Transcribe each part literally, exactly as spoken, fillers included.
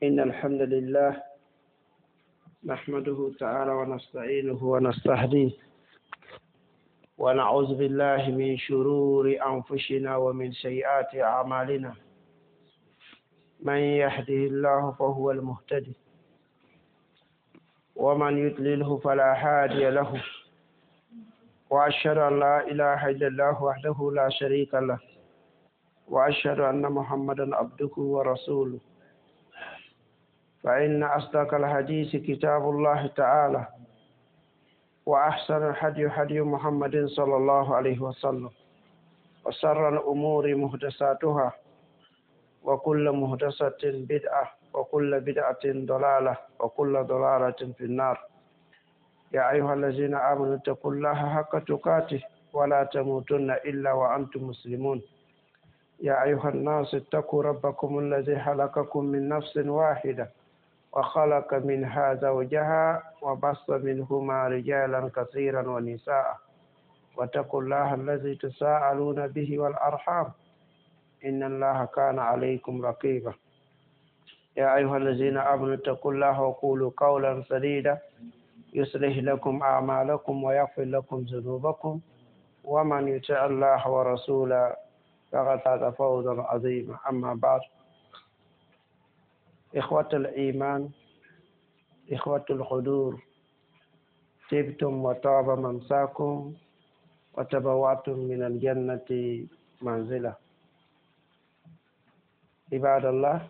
إن الحمد لله نحمده تعالى ونستعينه ونستهديه ونعوذ بالله من شرور أنفسنا ومن سيئات أعمالنا. من يهده الله فهو المهتدي ومن يضلله فلا هادي له، وأشهد أن لا إله إلا الله وحده لا شريك له، وأشهد أن محمدا عبده ورسوله. فإن أصدق الحديث كتاب الله تعالى، وأحسن الهدي هدي محمد صلى الله عليه وسلم، وشر الأمور محدثاتها، وكل محدثة بدعة، وكل بدعة ضلالة، وكل ضلالة في النار. يا أيها الذين آمنوا اتقوا الله حق تقاته ولا تموتن إلا وأنتم مسلمون. يا أيها الناس اتقوا ربكم الذي خلقكم من نفس واحدة وخلق منها زوجها وبث منهما رجالا كثيرا ونساء، واتقوا الله الذي تساءلون به والأرحام إن الله كان عليكم رقيبا. يا أيها الذين آمنوا اتقوا الله وقولوا قولا سديدا يصلح لكم أعمالكم ويغفر لكم ذنوبكم، ومن يطع الله ورسوله فقد فاز فوزا عظيما. أما بعد، إخوة الإيمان، إخوة الحضور، طبتم وطاب ممساكم وتبوأتم من الجنة منزلة. عباد الله،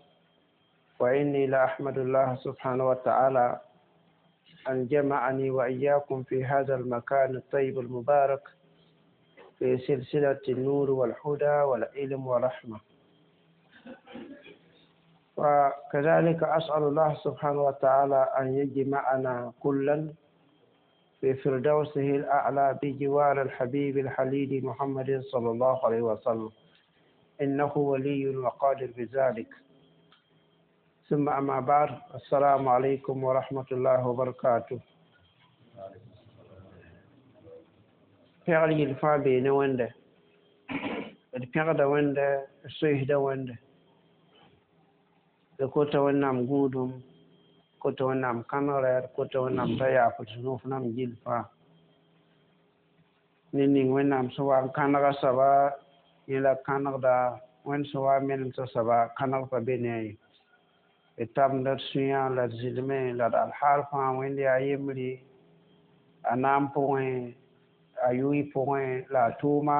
وإني لأحمد الله سبحانه وتعالى أن جمعني وإياكم في هذا المكان الطيب المبارك في سلسلة النور والهدى والعلم والرحمة. وكذلك أسأل الله سبحانه وتعالى أن يجمعنا كلا في فردوسه الأعلى بجوار الحبيب الحليل محمد صلى الله عليه وسلم، إنه ولي وقادر بذلك. ثم أما بعد، السلام عليكم ورحمة الله وبركاته. Pɛgr yel fãa bee ne wẽnde, d pẽgda wẽnde, d soeesda wẽnde, d kota Wẽnnaam gũudum, kota Wẽnnaam kãnegrɛ, d kota Wẽnnaam t'a yaaf d sũ-noog nam gill fãa ne ning Wẽnnaam sẽn wa n kãnega soaba yẽ la kãnegda Wẽnd sẽn wa n menemsa soaba kãneg pa be ne a ye. D tabenda d sũyã la d zɩlmẽ la d alhaal fãa Wẽnd yaa yembre a naam pʋgẽ, a yʋɩ pʋgẽ la a tʋʋma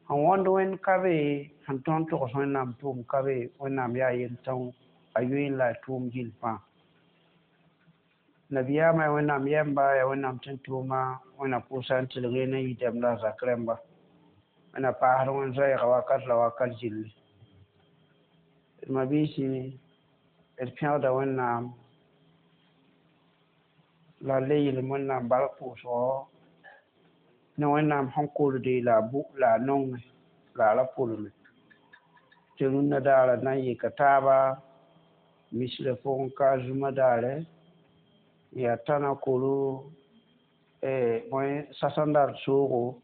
sẽn wõnd Wẽnd ka be, sẽn tõnd togs Wẽnnaam tʋʋm ka be. Wẽnnaam yaa yel-tõng a yʋɩ la a tʋʋm gill fãa. Nabiyaamã yaa Wẽnnaam yɛmba, yaa Wẽnnaam tẽn-tʋʋma, Wẽnna pʋʋsa n tɩlg ne yidɛm la a zak rẽmba. Wẽnna paasd wẽnd zoɛɛga wakat la wakat gilli. D mabiisi, d pẽgda Wẽnnaam la le yɩlem Wẽnnaam bark pʋʋsgɔ ne Wẽnnaam sẽn kolde la a la a nongẽ la a ra pʋlme tɩ rũnnã daara na n yika taaba misrã pʋgẽ ka zũma daare yaa tãna koro bõe sasẽn dar soogo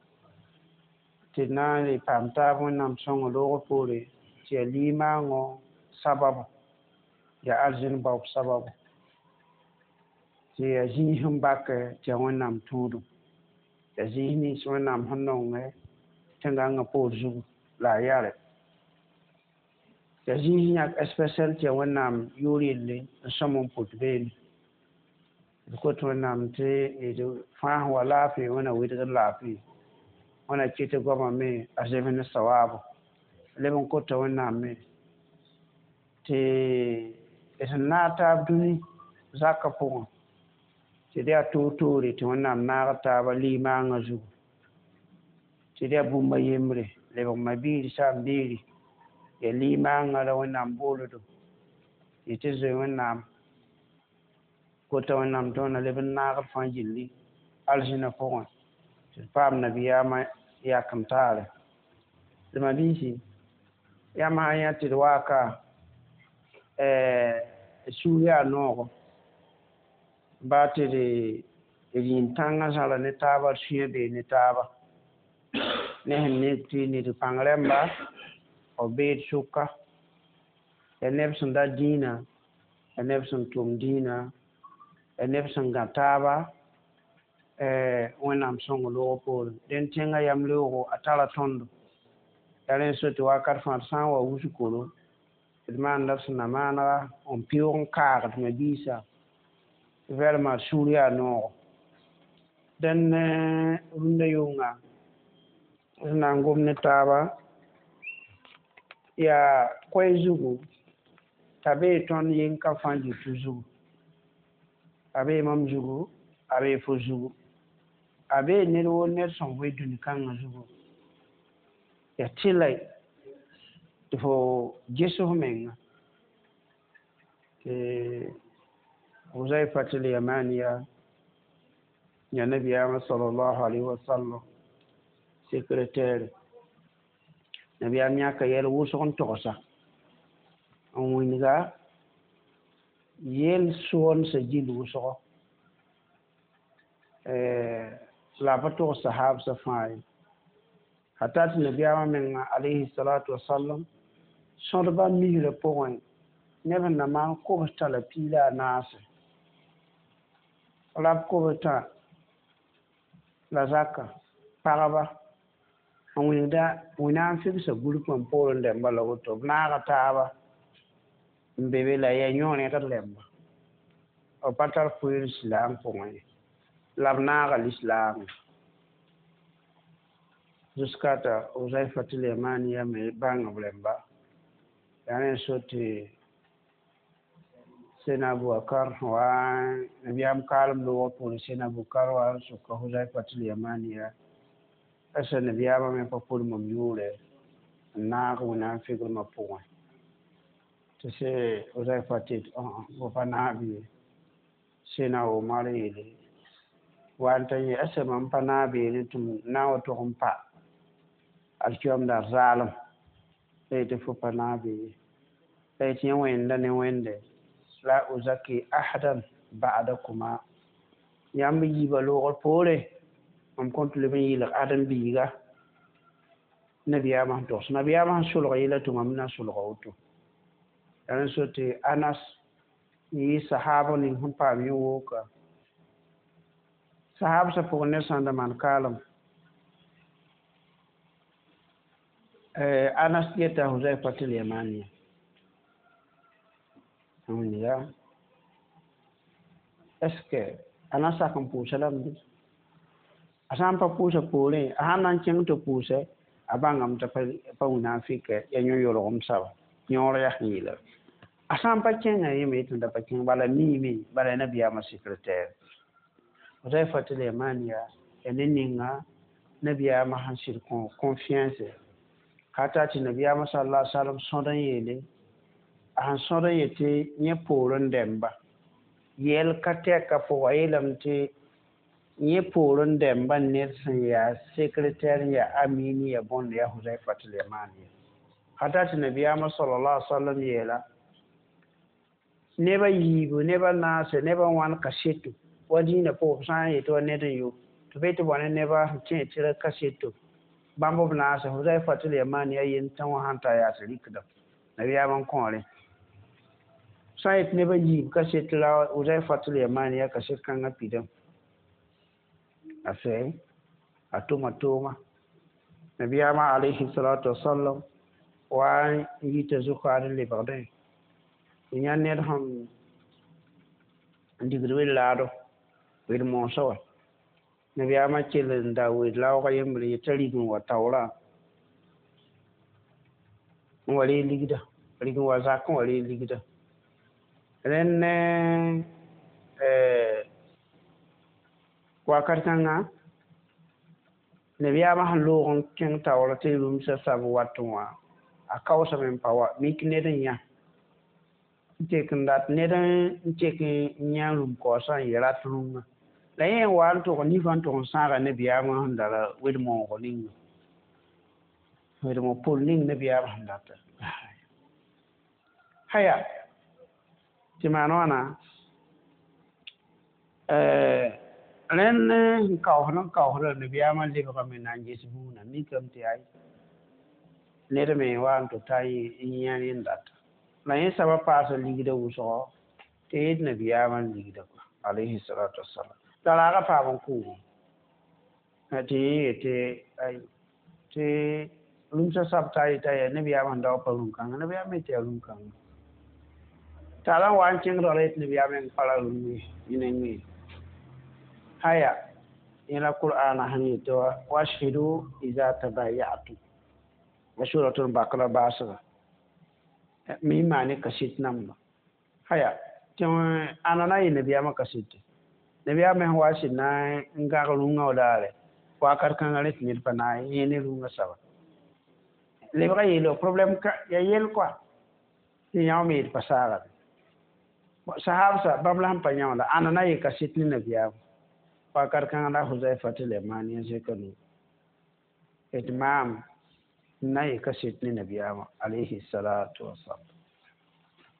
tɩ d na n le paam taab Wẽnnaam sõngo loogr poore tɩ yaa limaangõ sababu, yaa arzẽn baoob sababu, tɩ yaa zĩis n bak tɩ yaa Wẽnnaam tũudum, yaa zĩis nins Wẽnnaam sẽn nongẽ tẽn-gãngã poor zugu la a yare, yaa zĩis yãk spɛsɛl tɩ yaa Wẽnnaam yʋʋr yelle n sõm n pʋt beene. D kot Wẽnnaam tɩ d fãas wa laafɩ, Wẽnna wɩdgd laafɩ, Wẽnna kɩt goamã me a zems ne sawaabo. Leb n kota Wẽnnaam me tɩ d sẽn naag taab dũni zakã pʋgẽ tɩ d yaa toor-toore tɩ Wẽnnaam naag taaba limaangã zugu, tɩ d yaa bũmb a yembre lebg ma-biir saam-biiri yaa limaangã la Wẽnnaam booldo tɩ tɩ zoe Wẽnnaam. Kota Wẽnnaam tɩ Wẽnna leb n naag d fãa gilli arzẽnã pʋgẽ tɩ d paam nabiyaamã yakem taare. D mabiisi, yãmb sã n yã tɩ d waaka sũur yaa noogo baa tɩ d yĩn-tãngã zãra ne taaba, d sũyã bee ne taaba ne sẽn nek tɩ ned pãng rẽmba b beed sʋka yaa neb sẽn da dĩinã. Ya neb sẽn tʋm dĩinã, ya neb sẽn gã taaba Wẽnnaam sõng loog poorẽ. Dẽn tẽngã yam leoogo a tara tõndo. Yaa rẽ n so tɩ wakat fãa d sã n wa wusgkoro d maanda d sẽn na maanega n pɩʋʋg n kaagd ma-biisã vraiment d sũur yaa noogo. Dẽn rũndã yʋnga d na n gom ne taaba yaa koɛɛ zugu t'a bee tõnd yeng-ka fãa dɩtʋ zugu, a bee mam zugu, a bee fo zugu, a bee ned woo ned sẽn vɩ dũni-kãngã zugu. Yaa tɩlɛ tɩ fo ges f menga tɩ Huzaifat al-Yamaniya ya nabiyaamã sallallahu alayhi wa sallam secrétaire. Nabiyaam yãka yɛl wʋsg n togsa n wĩnga yel soonsã gill wʋsgo la a pa tog sahabsã fãa ye. Hata tɩ nabiyaamã menga alayhi salatu wasalam sõdba misrã pʋgẽ neb sẽn na maan kobs-tã la piig la a naase rab kobs-tã la zaka pagba n wĩnda wẽnnaam figsa gũrkã n poorẽ rẽmba la woto b naaga taaba n be be la yaa yõ rẽgd rẽmba b pa tar koeer lislaam pʋgẽ ye la b naaga lislaamẽ jusqu'à t'a Huzaifat al-Yamaniya me bãng b rẽmba. Yaa rẽ n so tɩ Sena Abubakar wa nabiyaam kaalem loogr poorẽ Sena Abubakar wa n soka Huzaifat al-Yamaniya asa nabiyaamã me pa pʋr mam yʋʋrɛ n naag wẽnnaam figrmã pʋgẽ tɩ se Huzaifat yet fo pa naab ye. Sena Omar yeele wa n ta yẽ asa mam pa naab yeele tɩ m na n wa tog n pa alkiyom daar zaalem la yetɩ fo pa naab ye la yetɩ yẽ wẽnda ne wẽnde la uzaki ahadan ba'dakuma yãmb yiibã loogr poore mam kõn tɩ leb n yɩlg ãdem-biiga nabiyaamã sẽn togs nabiyaamã sẽn solg yɛla tɩ mam na solga woto. Yaa rẽ so tɩ Anas n yɩ sahaab ning sẽn paam yẽ wooka sahabsã pʋgẽ ned sã n da maan kaalem Anas yeta Huzaifat al-Yamaniya ya est ce que a na sak n pʋʋsa lame bɩ a sã n pa pʋʋsa poorẽ a sãn na n kẽng tɩ pʋʋsɛ a bãngame t'a pa wĩna n fɩkɛ yaa yõ-yolgem soaba yõor yaa sẽn yeela a sã n pa kẽngã yẽ me yetɩ da pa kẽng bala miime bala ya nabiyaamã secrétaire. Huzaifat al-Yamaniya yaa ne ninga nabiyaamã sẽn sɩd kõ confiance hata tɩ nabiyaamã sallallahu alaihi wasallam sõd n yeele a sẽn sõd n yetɩ yẽ poorẽ dɛmba yɛl ka tɛka pʋga yeelame tɩ yẽ poorẽ dɛmba ned sẽn yaa secrétaire n yaa amini ya bõnd yaa Huzaifat al-Yamaniya hata tɩ nabiyaamã sallallahu alaihi wasallam yeela neba yiibu neba naase neba wãn kaseto wa dĩinã pʋgẽ b sã n yetɩ wa ned n yo tɩ be tɩ bõe ne neba sẽn tẽ tɩ ra kaseto bãmb b naase Huzaifat al-Yamaniya yen tã wã sãn ta yaa tɩ rɩkda nabiyaamã n kõore sã n yetɩ neba yiib kaset la Huzaifat al-Yamaniya kaset kãngã pidame a sɛ a tʋma tooma nabiyaamã alayhi salatu wasalam wa n yita zʋkaad n lebgdẽ tɩ yã ned sẽn n digd wed-laado wed-moosã wã nabiyaamã kell n da wed-laoogã yembre yetɩ rig n wa taoorã n wa reeg ligda rig n wa zak n wa reeg ligda rẽnd ne wakat kãngã nabiyaamã sẽn loog n kẽng taoor tɩ rũmsã sab wat wã a kaoosame n pa wa mik ned n yã n tek n dat ned n tek n yã rũm-kaoosã n yɩ rat rũngã la yẽ n wa n tʋg nifã n tʋg n sãaga nabiyaamã sẽn da wed-moogr ninga wed-moog pol ning nabiyaamã sẽn data haya tɩ maan wãna rẽnd n kaoosd n kaoosda nabiyaamã lebgame na n ges buudã mikame tɩ ay ned me wa n tɩ ta n yã rẽnd data la yẽ soabã paasa ligdã wʋsgo Tɩ yet nabiyaamã n ligda kɔa alayhi salatu wasalam la raaga paam n kʋʋgẽ tɩ yẽ yetɩ ay tɩ rũmsã sab t'a yeta yaa nabiyaamã sẽn daoog pa rũm-kãngã nabiyaamã yetɩ yaa rũm-kãngã t'a la n wa n kẽng rala yetɩ nabiyaamã meng pa ra rũm ye yẽ nengẽ haya yẽ la qur'ana sẽn yetɩ wa washhidu iza tabayatum wa suratul bakra baasga mi maane kaset namba haya tɩ ãna na n yɩ nabiyaamã kasete nabiyaamã sẽn wa sɩd na n gãg rũngã wa daare wakat kãngã rẽ tɩ ned pa na n yẽ ne rũngã saba lebga yeelo problème ka ya yel kɔa tɩ yão me yet pa saagame sahabsa bãmb la sẽn pa yãonda ãna na yɩ kaset ne nabiyaamã wakat kãngã la Huzaifa tɩ Lemani n zẽka nu d maam n na yɩ kaset ne nabiyaamã alayhi salatu wasalam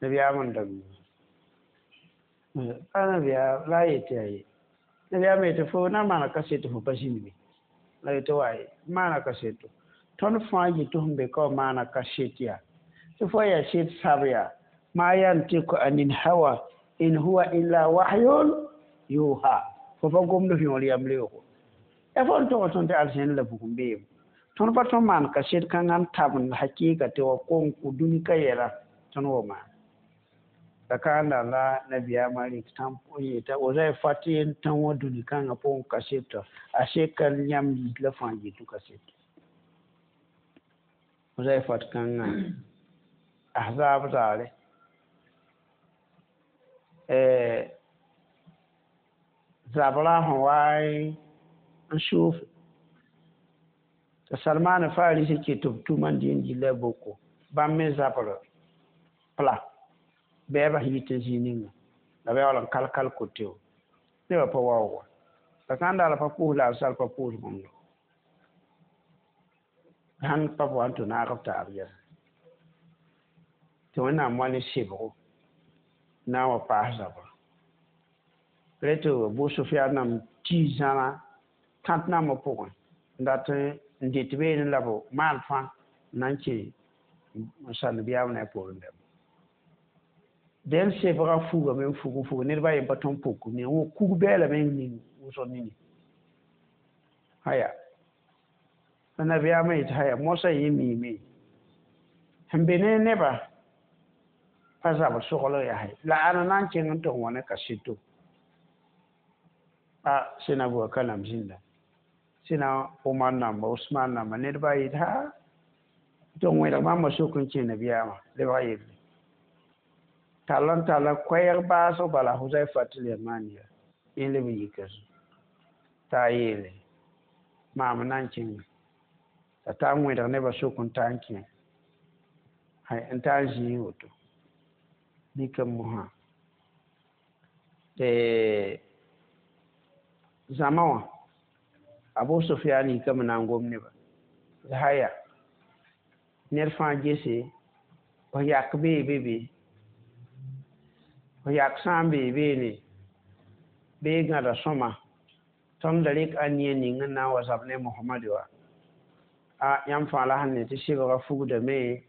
nabiyaamã n da a nabiyaam la a yetɩ yaa ye nabiyaamã yetɩ fo na n maana kaseto fo pa zĩnd be la yetɩ wa ye maana kaseto tõnd fãa yetɩ sẽn be ka wa maana kaset yaa tɩ fo yaa set sab yaa ma yantiku anil hawa in huwa illa wahyun yuha fo pa gomd f yõor yam leoogo ya fo n tog tõnd tɩ alzẽn la bugum beem tõnd pa tõnd maan kaset kãngã n tabend hakɩɩka tɩ wa kong kʋ dũni ka yɛla tõnd wa maan la kãanda la nabiyaamã rɩk tãmp n yeta Huzaifa tɩ yen tão wã dũni kãngã pʋgẽ kaseto a seka yãmb yit la fãa yetʋ kaseto Huzaifat kãngã ahzab zaare zabra sẽn wa n soof tɩ Salmaan Farisi kɩ tɩ b tʋm n dɩ n gilla boko bãmb me zabr pla bɛɛbã sẽn yit n zĩig ninga la b yaool n kal-kal kote nebã pa waoog wa la sã n daal pa pʋʋs la a sal pa pʋʋs bũmb sãn pa wa n tɩ naag b taab yɛla tɩ Wẽnnaam wa ne sebgo na n wa paas zabra rẽ tɩ Abu Sufyan nam tii zãna tãt nambã pʋgẽ n dat n dɩt beene la b maan fãa n na n kẽ n sa nabiyaam ne a poorẽ dãmba dẽn sebgã fugame n fug n fug ned ba yen pa tõnd puk ne kug bɛɛlame n ning wʋsg nini haya la nabiyaamã yetɩ haya mosã yẽ miime sẽn be ne nebã pa zabr sogl yaa la ãna na n kẽng n tɩ wã ne kaseto a sẽna Abubakar nam zĩnda sẽna Omar namba Usman namba ned ba yetɩ ha tɩ wẽlg bãmba sok n kẽ nabiyaamã lebg yelle tall n talla koɛɛg baasg bala Huzaifa tɩ Yamaniya yẽ leb n yika t'a yeele maam na n kẽnga t'a taa n wẽdg nebã sok n taa n kẽ n taa n zĩig woto dɩka mosã tɩ zãma wã Abu Sufyan yikame na n gom nebã haya ned fãa gese f yak bee be be f yak sã n bee beene bee gãda sõma tõnd da rɩk ãnia ning n na n wa zab ne Mohamad wa a yãmb fãa la sẽn ne tɩ sebgã fugdame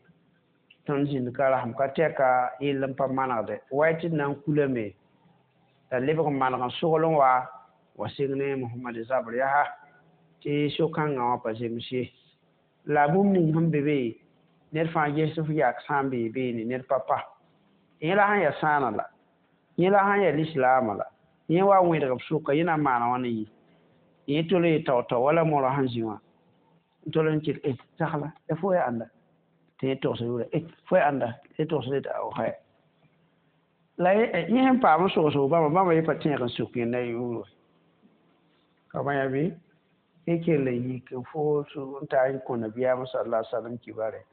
tõnd zĩnd ka rasem ka tɛka yell n pa manegde wa tɩ d na n kulame la lebg n maneg n sogl n wa wa seng ne Mohamad zabr yaa tɩ so-kãngã wã pa zems ye la bũmb ning sẽn be be ned fãa ges f yak sã n bee beene ned pa pa yẽ la sẽn yaa sãana la yẽ la sẽn yaa lislaamã la yẽ wa wẽdg b sʋka yẽ na n maana wãna yɩ yẽ tol n tao-tao wala morã sẽn zĩ wã n tol n kɩt tagla ya fo yaa ãnda tɩ yẽ togsa yʋʋra fo yaa ãnda tɩ yẽ togsd tɩ ao haya la yẽ sẽn paam n sogsg bãmba bãmba yẽ pa tẽeg n suk yẽnda yʋʋr wa ka bã yaa bɩ yẽ kell n yik n fo n taa n kõ nabiyaamã sala salam kibare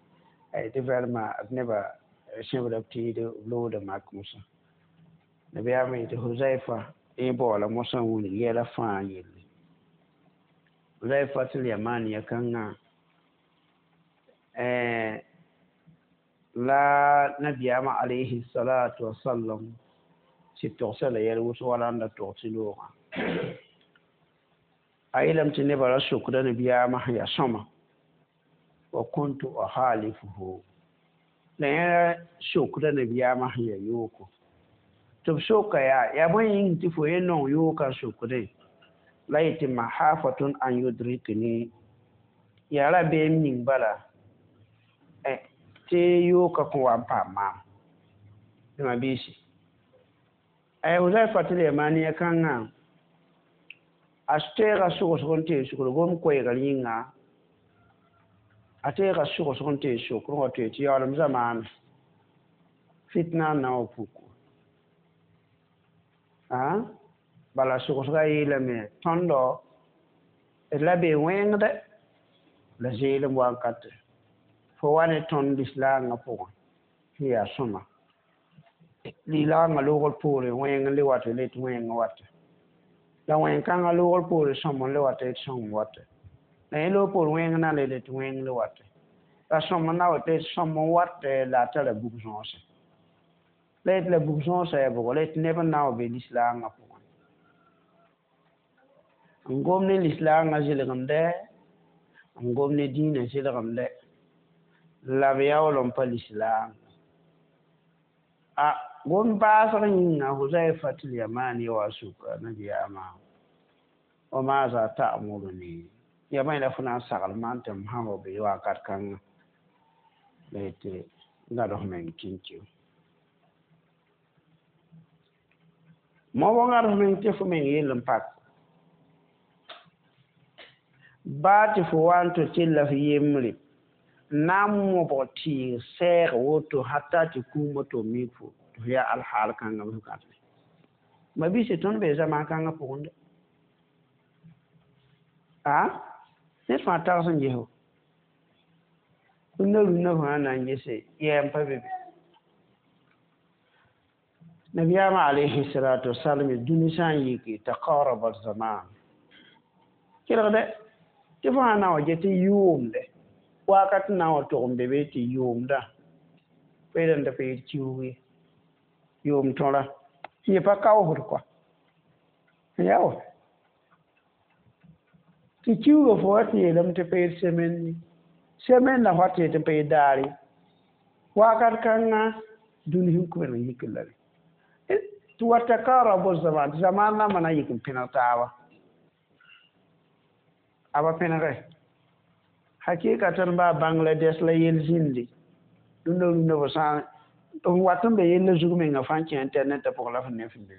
ay tɩ vraiment d nebã sẽbda b tɩɩd b loogda mak mosã nabiyaamã yetɩ Huzaifa yẽ baoola mosã n wilg yɛla fãa yelle Huzaifa tɩ Yamaniya kãngã la nabiyaamã alayhi salatu wasalam sɩd togsa la yɛl wʋsg wala n da tog tɩ loogã a yeelame tɩ nebã ra sokda nabiyaamã sẽn yaa sõma wa kuntu ukhalifuhu la yẽ sokda nabiyaamã sẽn yaa yooko Tɩ b soka yaa yaa bõe yĩng tɩ fo ye nong yoogã sokdẽ la yetɩ mahafatun an yudrikni yaa rabeem ning bala tɩ yoogã kõn wa n paam maam ma biisi Huzaifa Yamani kãngã a teega sʋgsg n tee sukr gom koɛɛgr yĩnga a teega sʋgsg n tee sokr wa tɩ tɩ yaoolem zamaane fitna n na wa puku bala sʋgsga yeelame tõndo d la bee wẽngdɛ la zeelem wankate fo wa ne tõnd lislaangã pʋgẽ tɩ yaa sõma lilaangã loogr poore wẽng n le wat le tɩ wẽng wate la wẽn-kãngã loogr poore sõm n le wat tɩ sõm wate la yẽ loog poor wẽng na le tɩ wẽng le wate la sõm n na wa tɩ sõm n wate la a tara bug-sõose la yetɩ la bug-sõosã yaa bʋgɔ la yetɩ neb n na wa be lislaangã pʋgẽ n gom ne lislaangã zɩlgemdɛ n gom ne dĩinã zɩlgemdɛ la b yaool n pa lislaang a gom baasg yĩnga Huzaifa Yamani wa suka nabiyaamã wa maaza ta'muruni ya bãe la fo na n sagl maam tɩ m sã wa be wakat kãngã la yetɩ gãd f meng kĩnkĩu mo wa gãd f meng tɩ fo meng yell n pak baa tɩ fo wa n tɩ tɩlla f yembre na n mobg tɩɩg sɛɛg woto hata tɩ kũumã tɩ mik fo tɩ f yaa alhaal kãngã b gãdme ma biisi tõnd bee zamaan kãngã pʋgẽ de a ned fãa tags n ges rũndã rũndã fãa na n gese yɛɛ n pa be be nabiyaamã alayhi salatu wasalam dũni sã n yiki taqaraba zaman kelgdɛ tɩ fo sã na wa get tɩ yʋʋmde wakat n na n wa tog n be be tɩ yʋʋmdã pa yeelame tɩ pa yet kiuug ye yʋʋm tõra yẽ pa kaoosd kɔa yaa wa tɩ kiuugã fo wa tɩ yeelame tɩ pa yet semaine semaine la fa tɩ yetɩ pa yet daare wakat kãngã dũni sẽn kʋmd n yik la tɩ wa takarabu zaman tɩ zamaan nambã na n yik n pẽneg taaba a pa pẽnege hakikatan baa Bangladesh la yel zĩndi rũndã rũndã fo sã n wat n be yella zug menga fãa n kẽ internet pʋgẽ la f ne f be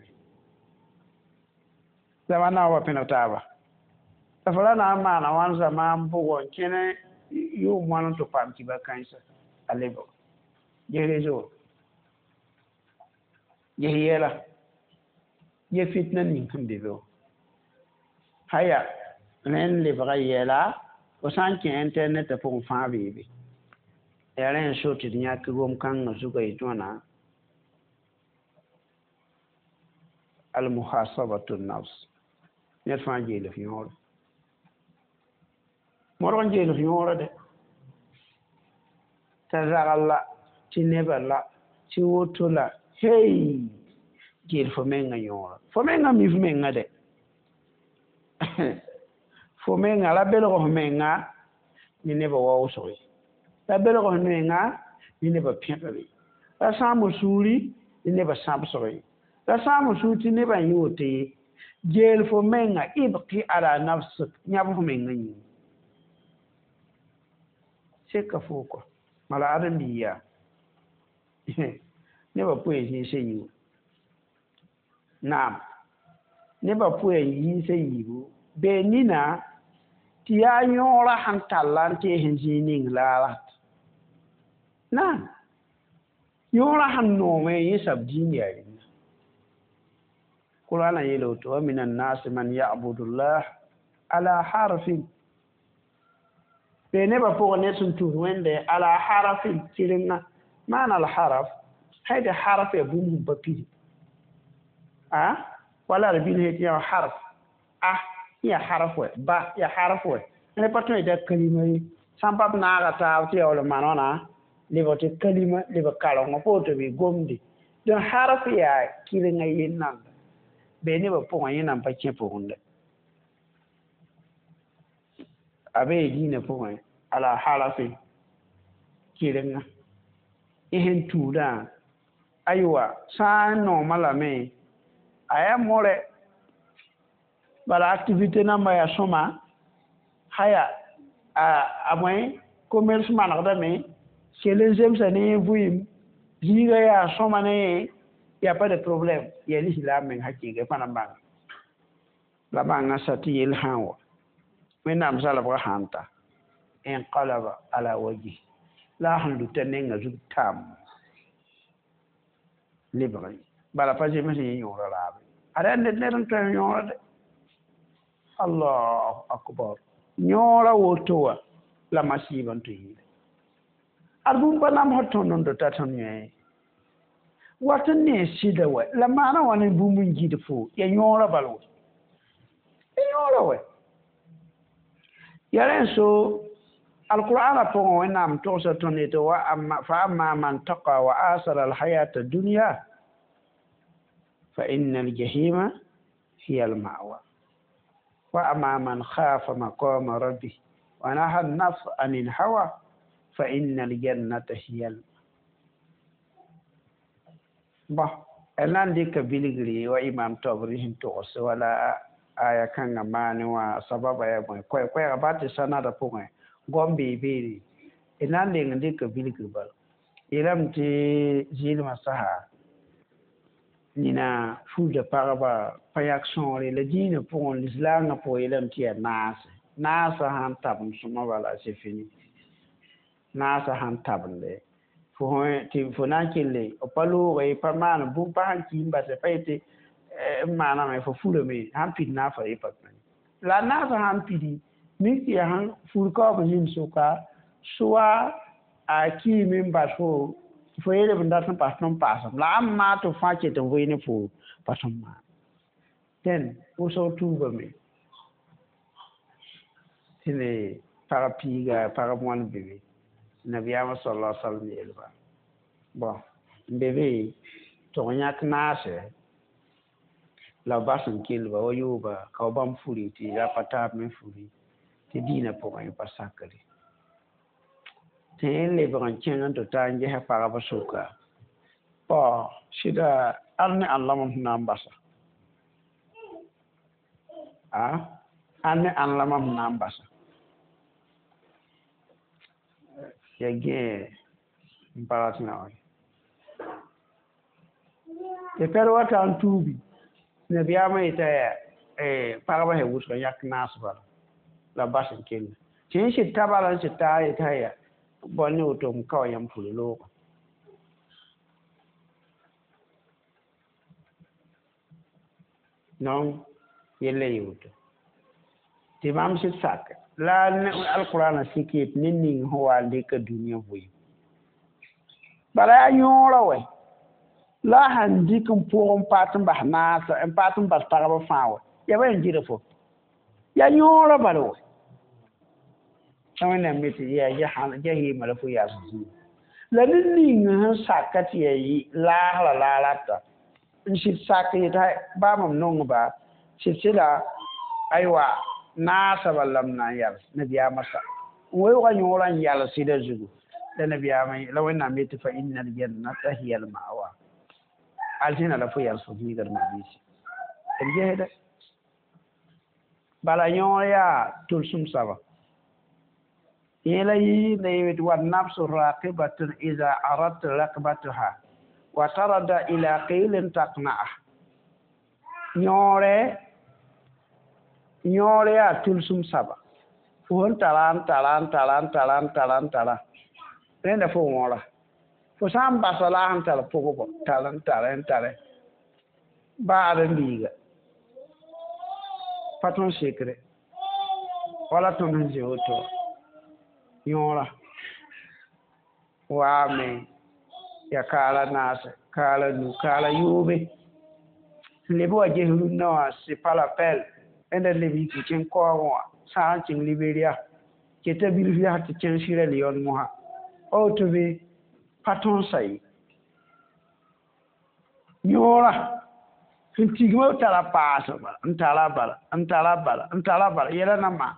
zaman na wa pẽneg taaba la fo ra na n maana wãn zamaan bʋgɔ n kẽne yʋʋm wãn n tɩ paam kiba kãensa a lebg ges rezo ges yɛla ye fitna ning sẽn be be wã haya rẽnd lebga yɛla fo sã n kẽ internet pʋgẽ fãa beebe yaa rẽ n so tɩ d yãk gom-kãngã zugã yetɩ wãna almuhasabatu nafs ned fãa geel f yõore modg n geel f yõora dɛ t'a zagl la tɩ nebã la tɩ woto la hey geel fo mengã yõora fo mengã mi f menga dɛ fo menga ra belg f menga ne nebã waoosg ye ra belg f menga ne nebã pẽgre ra sãam suuri ne nebã sãbsg ye ra sãam suur tɩ nebã n yɩ woto ye geel fo menga ibqi ala nafsik yãb f menga yĩnga seka fo kɔ mala ãdem-biig yaa nebã pʋɩ n zĩis a yiibu naam nebã pʋɩ n yiis a yiibu bee nina tɩ yaa yõorã sẽn talla n tees n zĩig ning la a rat naam yõorã sẽn noome yẽ sab dĩin yaa rẽnda qur'ana yeela woto wa min annasi man yabudullah ala harfin bee nebã pʋgẽ ned sẽn tus wẽnde ala harafin tɩrenga maana al haraf hayda haraf ya bũmb sẽn pa pidi a wala d bĩn tɩ yaa harf a ya harf wɛ ba ya harf wɛ ne pa tõe t'a kalima ye sã n pa b naaga taab tɩ yaool n maan wãna lebg tɩ kalima lebg karengã pa woto bɩ gomde donc harf yaa kɩrenga yel-nanga bee nebã pʋgẽ yẽ nan pa kẽ pʋgẽ dɛ a be dĩinã pʋgẽ ala harafin kɩrenga yẽ sẽn tuudã Aywa sã n nooma lame a yaa more bala activité namba yaa sõma haya a a bõe commerce manegdame kell n zemsa ne vɩɩm zĩiga yaa sõma ne y a pas de problème yaa lislaam meng hakɩɩga pa na n bãnga la bãnga sa tɩ yell sã n wa wẽnnaam zalbgã sã n ta inqalaba ala wajhi la a sẽn luta nenga zug tam lebg bala pa zems yẽ yõora raabe ada yaa ned ned n tõe n yõora de allahu akbar yõora woto wã la masiibã n tɩ yɩɩle ad bũmb pa namsd tõnd n dota tõnd yẽ wat n ne sɩda wɛ la maana wã ne bũmb n gɩd fo ya yõora bal wɛ ya yõora wɛ ya rẽ so القرآن pʋgẽ wẽnnaam togsa tõnd yetɩ fa amma man taqa wa asara alhayata dunya fa inna aljahima hiya almawa wa amma man khafa maqama rabbih wa naha an-nafs anil hawa fa inna aljannata hiya al bon na n dɩka bilgre wa imam tobri sẽn togs wala aya kãngã maane wã sababa yaa bõe koɛɛ-koɛɛga ba tɩ sanada pʋgẽ gom bee beere d na n leng n dɩka bilgr bala yeelame tɩ zɩɩlmã sasa nina fulda pagba pa yak sõore la dĩinã pʋgẽ lislaangã pʋgẽ yeelame tɩ yaa naase naasã sãn tabend sõma bala c'est fini naasã sãn tabende fo tɩ fo na n kelle b pa looge pa maan bũmb pa sãn ki n basɛ pa yetɩ n maaname fo furame sãn pid naafã ye pa la naasã sãn pidi mik tɩ yaa sãn fur kaoog zĩnd sʋka soa a kiime n bas fo fo yeelb n dat n pas tõnd paasem la ãmb maa tɩ fãa ket n vɩ ne fo pa tõnd maan dẽn wʋsg tuubame tɩ ne pag piiga pag moan be be nabiyaamã sala alaihi wasallam yeelba bon n be be tɩg yãk naasɛ la b bas n kelba wa yooba ka b bãmb furi tɩ a pa taab me furi tɩ dĩinã pʋgẽ pa sakre tɩ yẽ lebg n kẽng n tɩ ta n ges pagb sʋka bõ sɩda al ne ãn la mam sẽn na n basa a al ne ãn la mam sẽn na n basa ya gẽ n pa rat na wa tɩ pɛd wa ta n tuubi nabiyaamã yeta yaa pagba sẽn wʋsg n yak naas bala la bas n kell tɩ yẽ sɩd ta bala n sɩd ta yeta yaa bõn ne woto m ka wa yãmb furi loogã non yella yɩ woto tɩ mam sɩd sak la alqurana sik yet ne ning sẽn wa n dɩka dũniyã vɩɩm bala yaa yõora wɛ la a sãn dɩk n pʋg n paat n bas naasa n paat n bas pagba fãa wɛ yaa ba yẽn gɩda fo yaa yõora bala wɛ la wẽnnaam me tɩ yaa jahɩɩmã la fo yaas zĩig la ned ning sẽn saka tɩ yaa laasra la a rata n sɩd sak yetɩ baa mam nongba sɩd sɩda aywa naasã bala la m na n yals nabiyaamã sa n weoogã yõorã n yals sɩda zugu la nabiyaamã la wẽnnaam yetɩ fa inna aljannata hiya almawa aljana la fo yals fo zĩiga d mabiisi d gesda bala yõor yaa tʋlsem saba yẽ la yɩɩnda yetɩ wannafsu raqibatun ida aradta rakbatuha wa tarada ila qilin taqna'a yõore yõor yaa tʋlsem saba fo sẽn tara n tara n tara n tara n tara n tara rẽnda fo wõora fo sã n basa la a sẽn tar pʋgbɔ tar n tare n tare baad n biiga pa tõnd sekre wala tõnd sẽn zĩ woto yõora waame ya kaala naase kaala nu kaala yoobe sẽn leb wa ges rũnnã wã c'est pas la peine rẽnda leb yik n kẽng kaoogẽ wã sã n kẽng Liberia keta bilf yaa tɩ kẽng Sierra Leone mosã woto be pa tõnd sa ye yõora sẽn tigmã tara paasg bala n tara bala n tara bala n tara bala yɛla na maan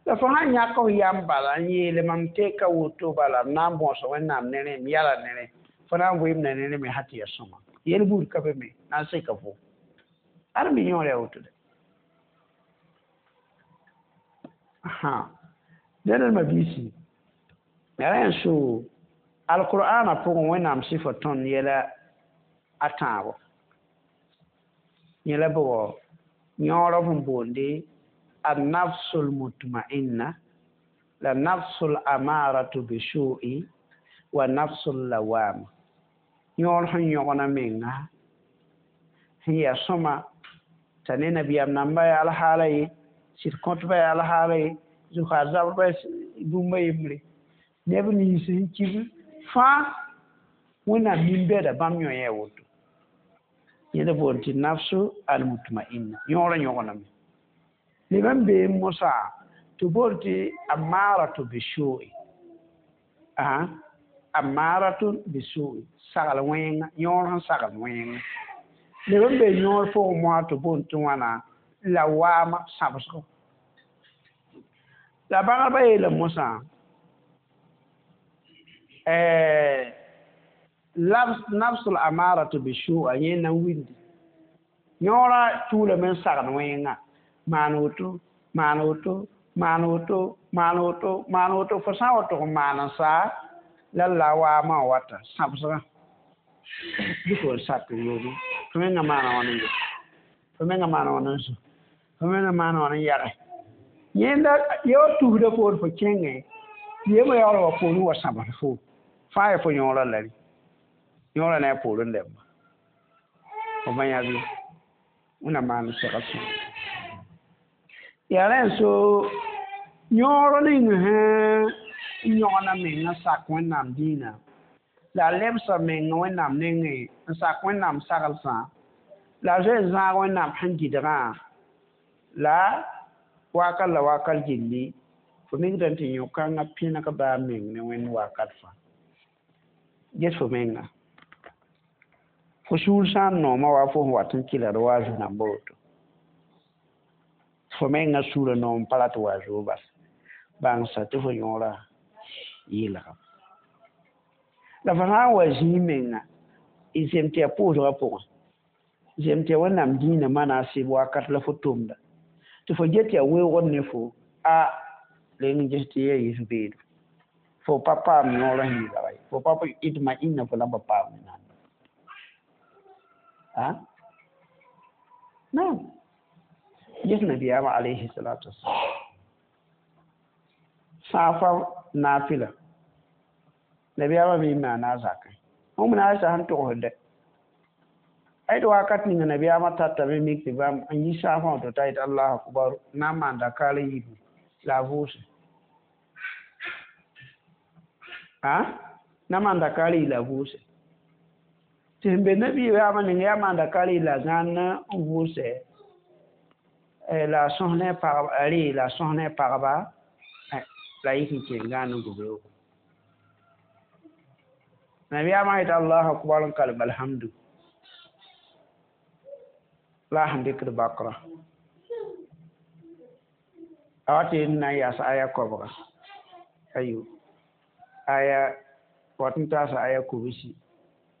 la fo sãn yãk f yam bala n yeele mam teka woto bala m na n bõos wẽnnaam ne rẽ m yala ne rẽ Fo na n vɩɩmda ne me sã tɩ yaa sõma yel buud ka be me na n seka fo ad me yõor yaa woto de dẽnd d mabiisi yaa rẽ n so alqur'ana pʋgẽ wẽnnaam sɩfa tõnd yɛla a tãabo yẽla bʋgɔ yõorã sẽn boonde النفس المطمئنة la nafsu l'amaratu bisu'i wa nafsu lawama yõor sẽn yõgna menga sẽn yaa sõma t'a ne nabiyaam namba yaa alhaala ye sɩd kõtba yaa alhaala ye zʋkaar zabrba bũmba yembre neb nins sẽn kib fãa wẽnnaam nin-bɛda bãmb yõ yaa woto yẽda boond tɩ nafsu almutma'inna yõorã yõgename leb n bee mosã tɩ boond tɩ amaratu bisu'i a amaratu bisu'i sagl wẽnga yõor sẽn sagl wẽnga leb n bee yõor pʋgẽ moasã tɩ boond tɩ wãna la waama sãbsgo la bãgdbã yeela mosã nafsul amaratu bisu'a yẽ na n wildi yõorã tuulame n sagd wẽnga maan woto maan woto maan woto maan woto maan woto fo sã n wa tʋg n maan n saa la la waamã wã wata sãbsgã bɩ fo n sak n yooge fo mengã maana wãn n yo fo mengã maana wãn n zũ fo mengã maana wãn n yage yẽnda ya wa tusda poor fo kẽngẽ tɩ yembra yaool wa poorẽ wa sãbs fo fãa ya fo yõorã la rẽ yõorã ne a poorẽ lɛmba fo ma yãb ye wẽnnaam maan segl sõma yaa rẽ n so yõor ning sẽn yõgna menga sak wẽnnaam dĩinã la a lebsa menga wẽnnaam nengẽ n sak wẽnnaam saglsã la a zoe n zãag wẽnnaam sẽn gɩdgã la wakat la wakat gilli fo mikdame tɩ yõ-kãngã pẽneg baa meng ne wẽnd wakat fãa ges fo menga fo sũur sã n nooma wa fo sẽn wat n kɩlgd wa a zu-rãmba woto fo menga sũurã noom pa rat wa a zuo bas bãngsa tɩ fo yõorã yɩlgame la fo sã n wa zĩig menga y zem tɩ yaa pʋʋsgã pʋgẽ zem tɩ yaa wẽnnaam dĩinã mana a sɩb wakat la fo tʋmda tɩ fo get yaa weoogd ne fo a reng n ges tɩ yaa yis beedo fo pa paam yõorã sẽn yɩlga ye fo pa ɩtma ĩnna fo la pa paam wẽnnaam a naam ges nabiyaamã alayhi salatu wasalam sã fa naafila nabiyaamã me maana a zakẽ wẽm na a sã sẽn togsd ay d wakat ninga nabiyaamã tatame mik tɩ bãmb n yi saafã wã tɩ ta yet allahu akbar na n maan dakaar yiibu la a vʋʋse a na n maan dakaar yi la a vʋʋse tɩ sẽn be nabiyaamã ninga yaa maan dakaar yi la a gãan n vʋʋse la a sõs ne a pagba a ree la a sõs ne a pagba la yik n kẽ gãan n gʋbrogo nabiyaamã yet allahu akbar n kalem alhamdu la sẽn dɩkd bakra a wa tɩ n na n yaas aya koabga ayo aya wat n taasa aya kobsi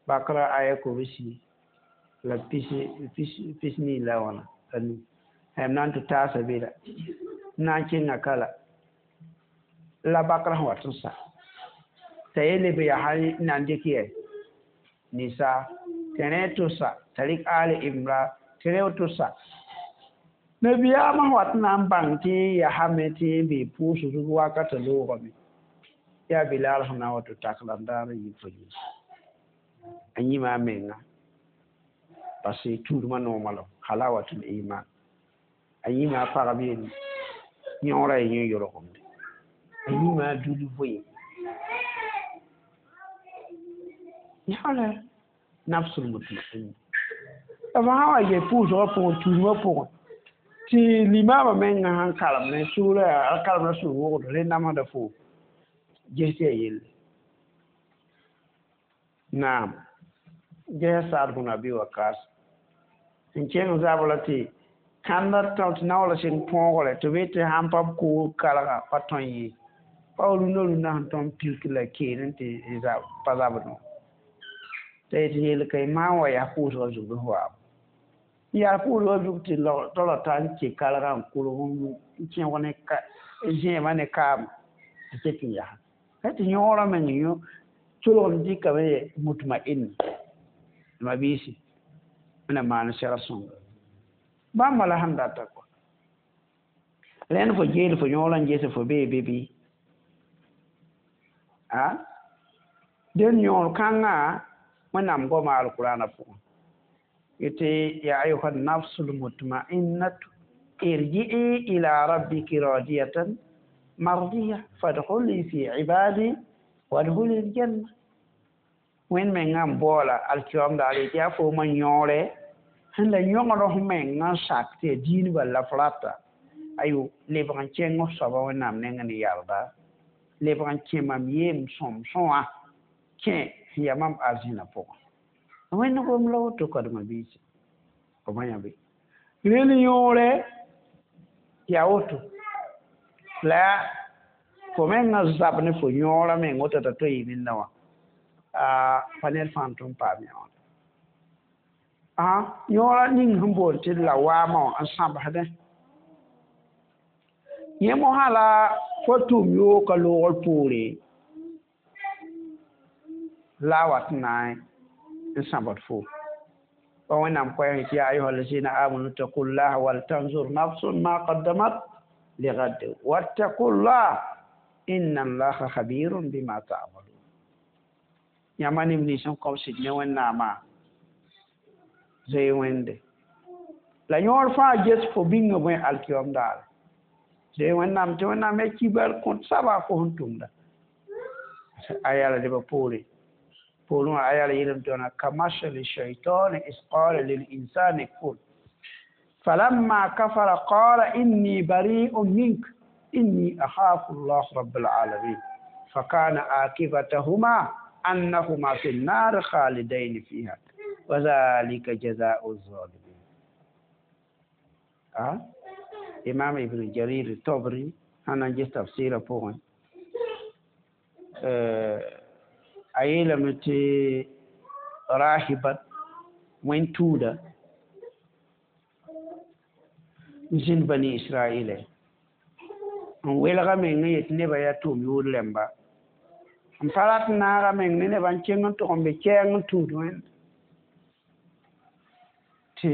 bakra aya kobsi la pis nii la wãna la nu m na n tɩ taasa be la n na n kẽnga kala la bakra sẽn wat n sa t'a ye leb yaa sã n na n dɩk yɛ nisa tɩ rẽ tʋsa t'a rɩk ali imra tɩ rẽ tʋsa nabiyaamã sẽn wat n na n bãng tɩ yasame tɩ n bee pʋʋsg wakatã loogame yaa bilal sẽn na n wa tɩ tak la n daar n yɩ fo yĩs a yĩma a menga parce que tuudmã noomã la halawatul iman a yĩma a pagb yelle yõorã ya yẽ yolgemde a yĩma a dul voe yãala nafsul mutmainna la fo sã n wa get pʋʋsgã pʋgẽ tuudmã pʋgẽ tɩ limaamã menga sãn karem ne sʋʋra a karemda sũur wogdo rẽ namsda fo ges tɩ yaa yelle naam ges Saad bn Abi Wakas sẽn kẽng zabra tɩ kãndã tão tɩ naoola sɩng põogre tɩ be tɩ sãn pa b koog kalga pa tõe ye pa rũndã rũndã sẽn tõm pilk la keen n tɩ pa zabdẽ T'a yetɩ yel-kã maam wa yaa pʋʋsgã zug bɩ f waam yaa pʋʋsgã zug tɩ tara ta n kẽ kargã n kolg n kẽog ne zẽebã ne kaam tɩ ket n yaa tɩ yõorã meng yõ tolg n dɩkame mutma'in ma biisi wẽnnaam maan segr sõnga bãmba la sẽn data kɔ rẽnd fo geel fo yõorã n ges fo bee be bɩ a dẽn yõor kãngã wẽnnaam goma alqurana pʋgẽ yetɩ ya ayuha nafsul mutma'innatu irji'i ila rabbiki radiyatan mardiya fadkhuli fi ibadi wadkhuli aljanna wẽnd mengã n baoola alkiyoom daar yetɩ yaa foomã yõore sẽn la yõgd f mengã n sak tɩ yaa diin bal la f rata ayo lebg n kẽng f soaba wẽnnaam neng ne yarda lebg n kẽ mam yeem sõm sõa kẽ sẽn yaa mam arzẽna pʋgẽ wẽnd gom la woto kadema biisi f ma yãbe rel yõore yaa woto la fo mengã zab ne fo yõorã meng woto t'a to yɩ nenda wã pa ned fãa n tʋm paam yã wã yõorã ning sẽn boond tɩ la waamã wã n sãbsdẽ yẽ mosã la fo tʋʋm yooka loogr poore la a wat n na n sãbd fo pa wẽnnaam koɛɛg tɩ ya ayuha allazina amanu taqullaha wal tanzur nafsun ma qaddamat ligad wattaqullah inna allaha khabirun bima ta'malun yãmba neb nins n kõb sɩd ne wẽnnaamã zoe wẽnde la yõor fãa ges fo bĩnga bõe alkiyoom daare zoe wẽnnaam tɩ wẽnnaam ya kibar kõt saba fo sẽn tʋmda a yaa la lebã poore poorẽ wã a yaa la yeelame tɩ wãna kamasali shaitani is qala lil insani kfur falamma kafara qala inni bari'un mink inni akhafu llah rabbal alamin fakana akibatahuma annahuma fi nnar khalidain fiha wa dhalika jazau zalimin a imam ibn jarir tobri sãn na n ges tafsɩɩrã pʋgẽ a yeelame tɩ rahibat wẽn-tuuda n zĩnd bani israɛlɛ n welga meng n yet nebã yaa tʋʋm yood rẽmba n pa rat n naaga meng ne nebã n kẽng n tʋg n be kɛɛng n tũud wẽnd tɩ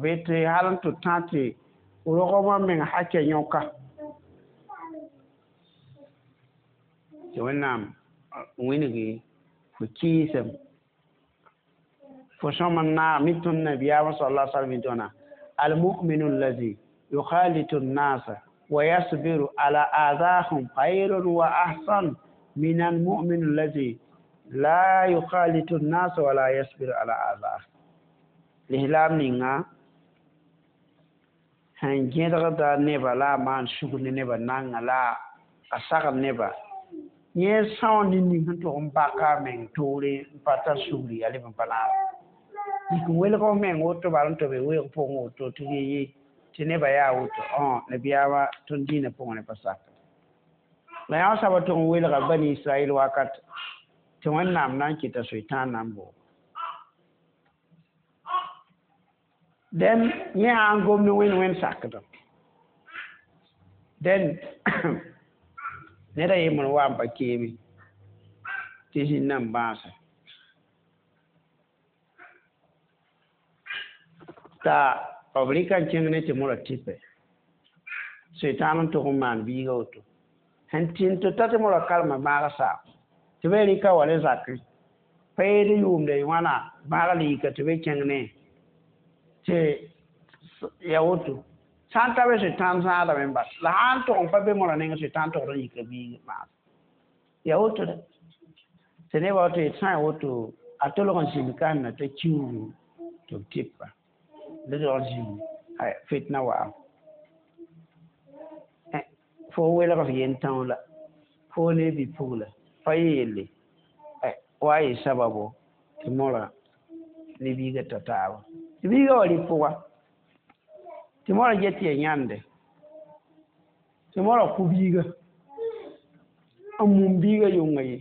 b tɩ hal n tɩ tã tɩ rogmã meng hakɛ yõka tɩ wẽnnaam wĩngi fo kɩɩsem fo sõm n naag mi tõnd nabiyaamã sal la salm tɩ wãna almuminu allazi yukhalitu nnasa wa yasbiru ala adahum khairun wa ahsan min almumin allazi la yukhalitu nnasa wala yasbiru ala adahum lislaam ninga sẽn gẽdgda neba la a maan sugr ne nebã nanga la a sagl neba yẽ são ne ning sẽn tʋg n baka a meng toore n pa tar sugri yaa leb n pa naag yik n welg f meng woto bal n tɩ be weoog pʋgẽ woto tɩ ye tɩ nebã yaa woto nabiyaamã tõnd dĩinã pʋgẽ ne pa sak la yã soaba tʋg n welga bani israɛl wakat tɩ wẽnnaam na n kɩta soetãan na n boog dẽn yẽ sã n gom ne wẽnd wẽnd sakdem dẽn ned a yembr wa n pa keeme tɩ zĩnd na n bãase t'a b rɩka n kẽng ne tɩ mora tɩpɛ soetãan n tʋg n maan biiga woto sẽn tɩ tɩ ta tɩ mora karema bãag saam tɩ b rɩka wa ne zakẽ pa yeed yʋʋmda wãna bãag liika tɩ b kẽng ne tɩ ya woto sã n ta be soetãan zãadame n bas la sã n tʋg n pa be mora neng soetãan tʋgd n yika biig maas ya woto dɛ tɩ nebã woto yetɩ sã n ya woto a tolg n zĩnd ka na t'a kiuugu tɩ b tɩpa la tolg n zĩnd fitna wa'am fo welg f yen-tão la fo ne bi-pugla pa yɩ yelle wa yɩ sababo tɩ mora ne biigã ta taaba tɩ biigã wa rɩ pʋga tɩ mora get tɩ ya yãnde tɩ mora kʋ biiga n mum biigã yʋnga ye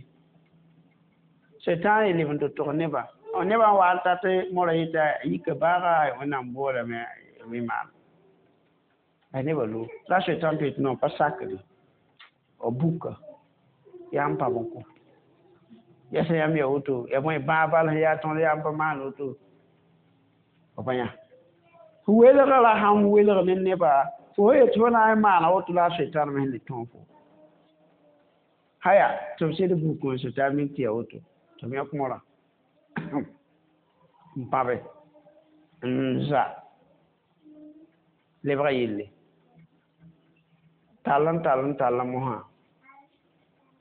sẽtãan yel n tɩ tʋg nebã Nebã wa n tat mora yeta yika baaga wẽnnaam boolame wɩ-maan a nebã loog la soetãn tɩ yetɩ non pa sakde b buka yaa n pab n kõ ya sẽn yãmb ya woto ya bõe bãag bal sẽn yaa tõnd yaa n pa maan woto b pa yã fo welgra la sãn welg ne neba fo yet fo na n maana woto la a soetãn me sẽn le tõog fo haya tɩ b sed buk n soetã mik tɩ ya woto tɩ b yõk morã n pãbe n za lebga yelle tall n tall n tall mosã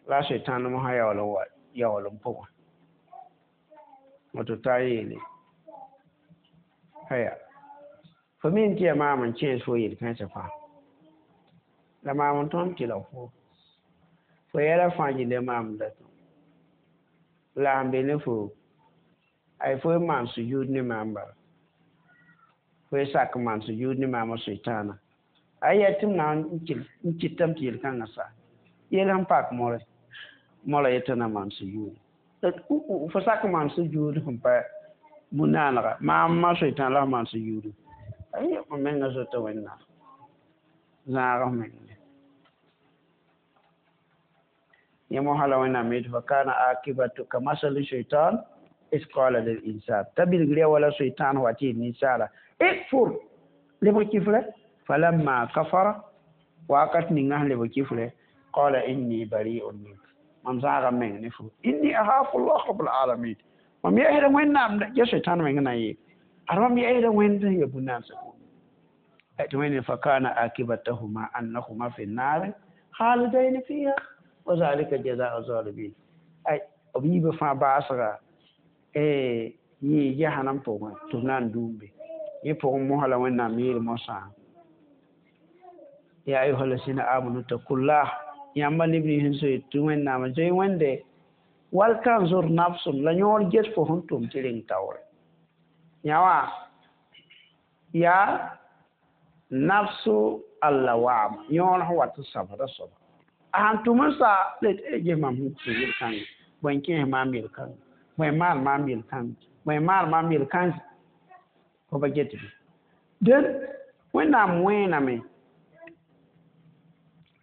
la a soetãn mosã yaool n wa yaool n pʋgẽ woto t'a yeele haya fo mi n tɩ yaa maam n kẽes fo yel-kãensã fãa la maam n tõnd tɩ la fo fo yɛla fãa gilli maam da la sẽn be ne fo ay fo n maan sujud ne maam bala fo y sak n maan sujud ne maam soetãana a ya tɩ m na n kɩtame tɩ yel-kãngã sa yel sẽn pak more mora yetɩ na maan sujud fo sak n maan sujud sẽn pa bu-naanega maam ma soetã la f maan sujud ay m menga zota wẽnnaam zãag f meng yẽ mosã la wẽnnaam yetɩ fa kana akibatu ka masali shaitan is qala lil insan t'a bilgr ya wala soetãan wa tɩ yel ninsaala ikfur lebg kifrɛ falamma kafara wakat ninga sẽn lebg kifrɛ qala inni bari'un mink mam zãaga meng ne fo inni akhafu llah rabbul alamin mam yɛsda wẽnnaam ya soetãn meng na n yeel ad mam yɛsda wẽnd sẽn ya bu-naamsã tɩ wẽnd fa kana akibatahuma annahuma fi nnaari khalidaini fiha wa zalika jazau zalimin ay b yiibã fãa baasga yɩ jahanam pʋgẽ tɩ b na n duum be yẽ pʋgẽ mosã la wẽnnaam yeel mosã ya ayuha lasina amanu takullah yãmba neb nins sẽn soe tɩ wẽnnaam zoe wẽnde wal tanzur nafsun la yõor ges fo sẽn tʋm tɩ reng taoore yã wã yaa nafsu allawama yõor sẽn wat n sabda soaba a sãn tʋm n sa ges mam sẽn tʋm yel-kãngã bõe n kẽes maam yel-kãngã bõe n maan maam yel-kãngã bõe n maan maam yel-kãnsã fo pa get bɩ dẽn wẽnnaam wẽename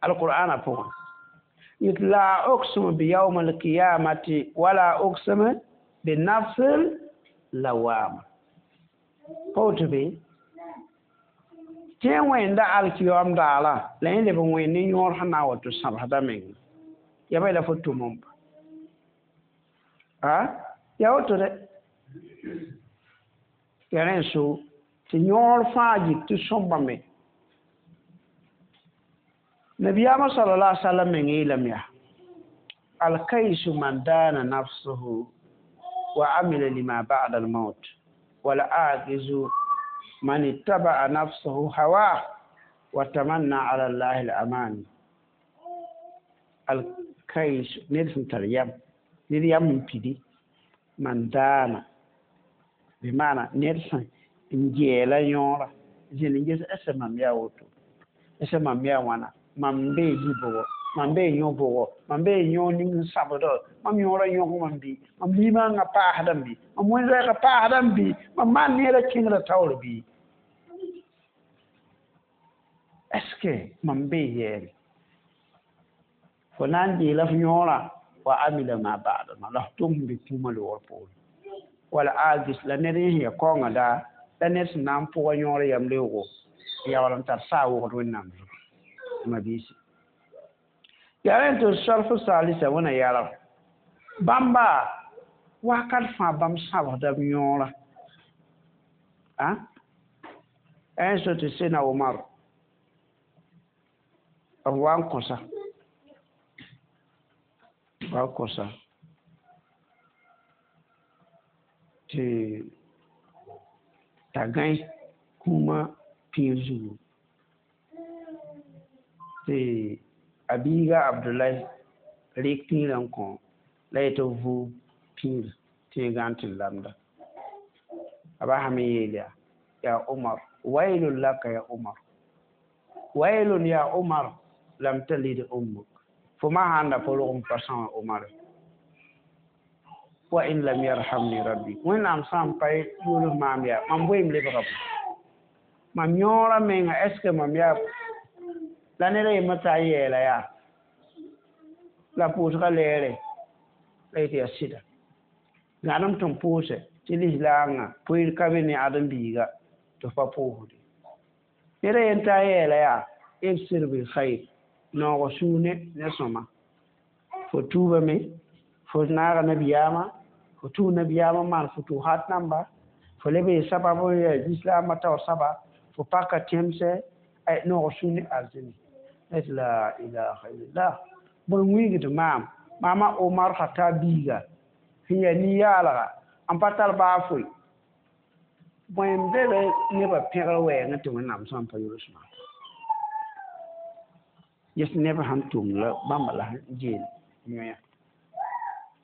alqur'ana pʋgẽ yet la uqsimu bi yawm alqiyamati wala uqsimu bi nafsil lawama pa woto be tɩ wẽnda alkiyom daara la yẽ leb n wẽnd ne yõor sẽn na n wa tɩ sãbsda meng ya ba la fo tʋm n pa a ya woto dɛ ya rẽ n so tɩ yõor fãa yik tɩ sõmbame nabiyaamã sallallahu alaihi wasallam meng yeelame yaa alkaisu man dana nafsuhu wa amila lima ba'da almaut wal ajizu man ittaba'a nafsuhu hawa wa tamanna ala allahi al-amani alkais ned sẽn tar yam ned yam n pidi man daana bɩ maana ned sẽn n gɛɛla yõora zĩnd n ges ese mam yaa woto ese mam yaa wãna mam bee yi-bʋgɔ mam bee yõ-bʋgɔ mam bee yõ ning n sabdɔ mam yõorã yõg mam bɩ mam limaangã paasdame bɩ mam wẽn-rɛɛgã paasdame bɩ mam maan neerã kẽngrã taoor bɩ est ce que mam bee yɛɛre fo na n deela f yõorã wa amila ma ba'da ma la f tʋm sẽn be kũumã loogr poore wala agis la ned yẽ sẽn ya kaoongã daa la ned sẽn na n pʋga yõor yam leoogo yaool n tar saa wogd wẽnnaam zugu mabiisi yaa rẽn tɩ salfu saalisa wẽna yalg bãmba wakat fãa bãmb sãbsda b yõora a n so tɩ sena Omar b wa n kõsa wa n kõsa tɩ t'a gãe kũumã pĩir zugu tɩ a biiga Abdulai rɩk pĩirã n kõ la yetɩ b vʋʋg pĩir tɩ yẽ gãan tɩ lamda a basame yeel yaa yaa Omar wailun laka ya Omar wailun ya Omar lam talid ummuk fo ma sãn da pa rog n pa são Omar Wa in lam yarhamni rabbi wẽnnaam sã n pa yols maam yaa mam boeem lebga bõe mam yõora menga est ce que mam yaa la ned a yembr t'a yɛɛla yaa la pʋʋsgã lɛɛre la yetɩ yaa sɩda gãdem tɩ n pʋʋsɛ tɩ lislaangã poeer ka be ne ãdem-biiga tɩ f pa pʋʋsde ned a yen t'a yɛɛla yaa ibsir bilkhair noog sũur ne ne sõma fo tuubame fo naaga nabiyaamã fo tʋʋ nabiyaamã n maan futuhat namba fo leb n sabab n yaa lislaambã taoor saba fo paka tẽmsɛ noog sũur ne arzĩni tɩ la ilaha illallah bõe wilgd maam maama Omar Khatab biiga sẽn yaa nin-yaalga n pa tar baa foe bõe n be be nebã pẽgr wɛɛngẽ tɩ Wẽnnaam sã n pa yols maam yes neb sãn tʋmd la bãmba la sẽn geel yõe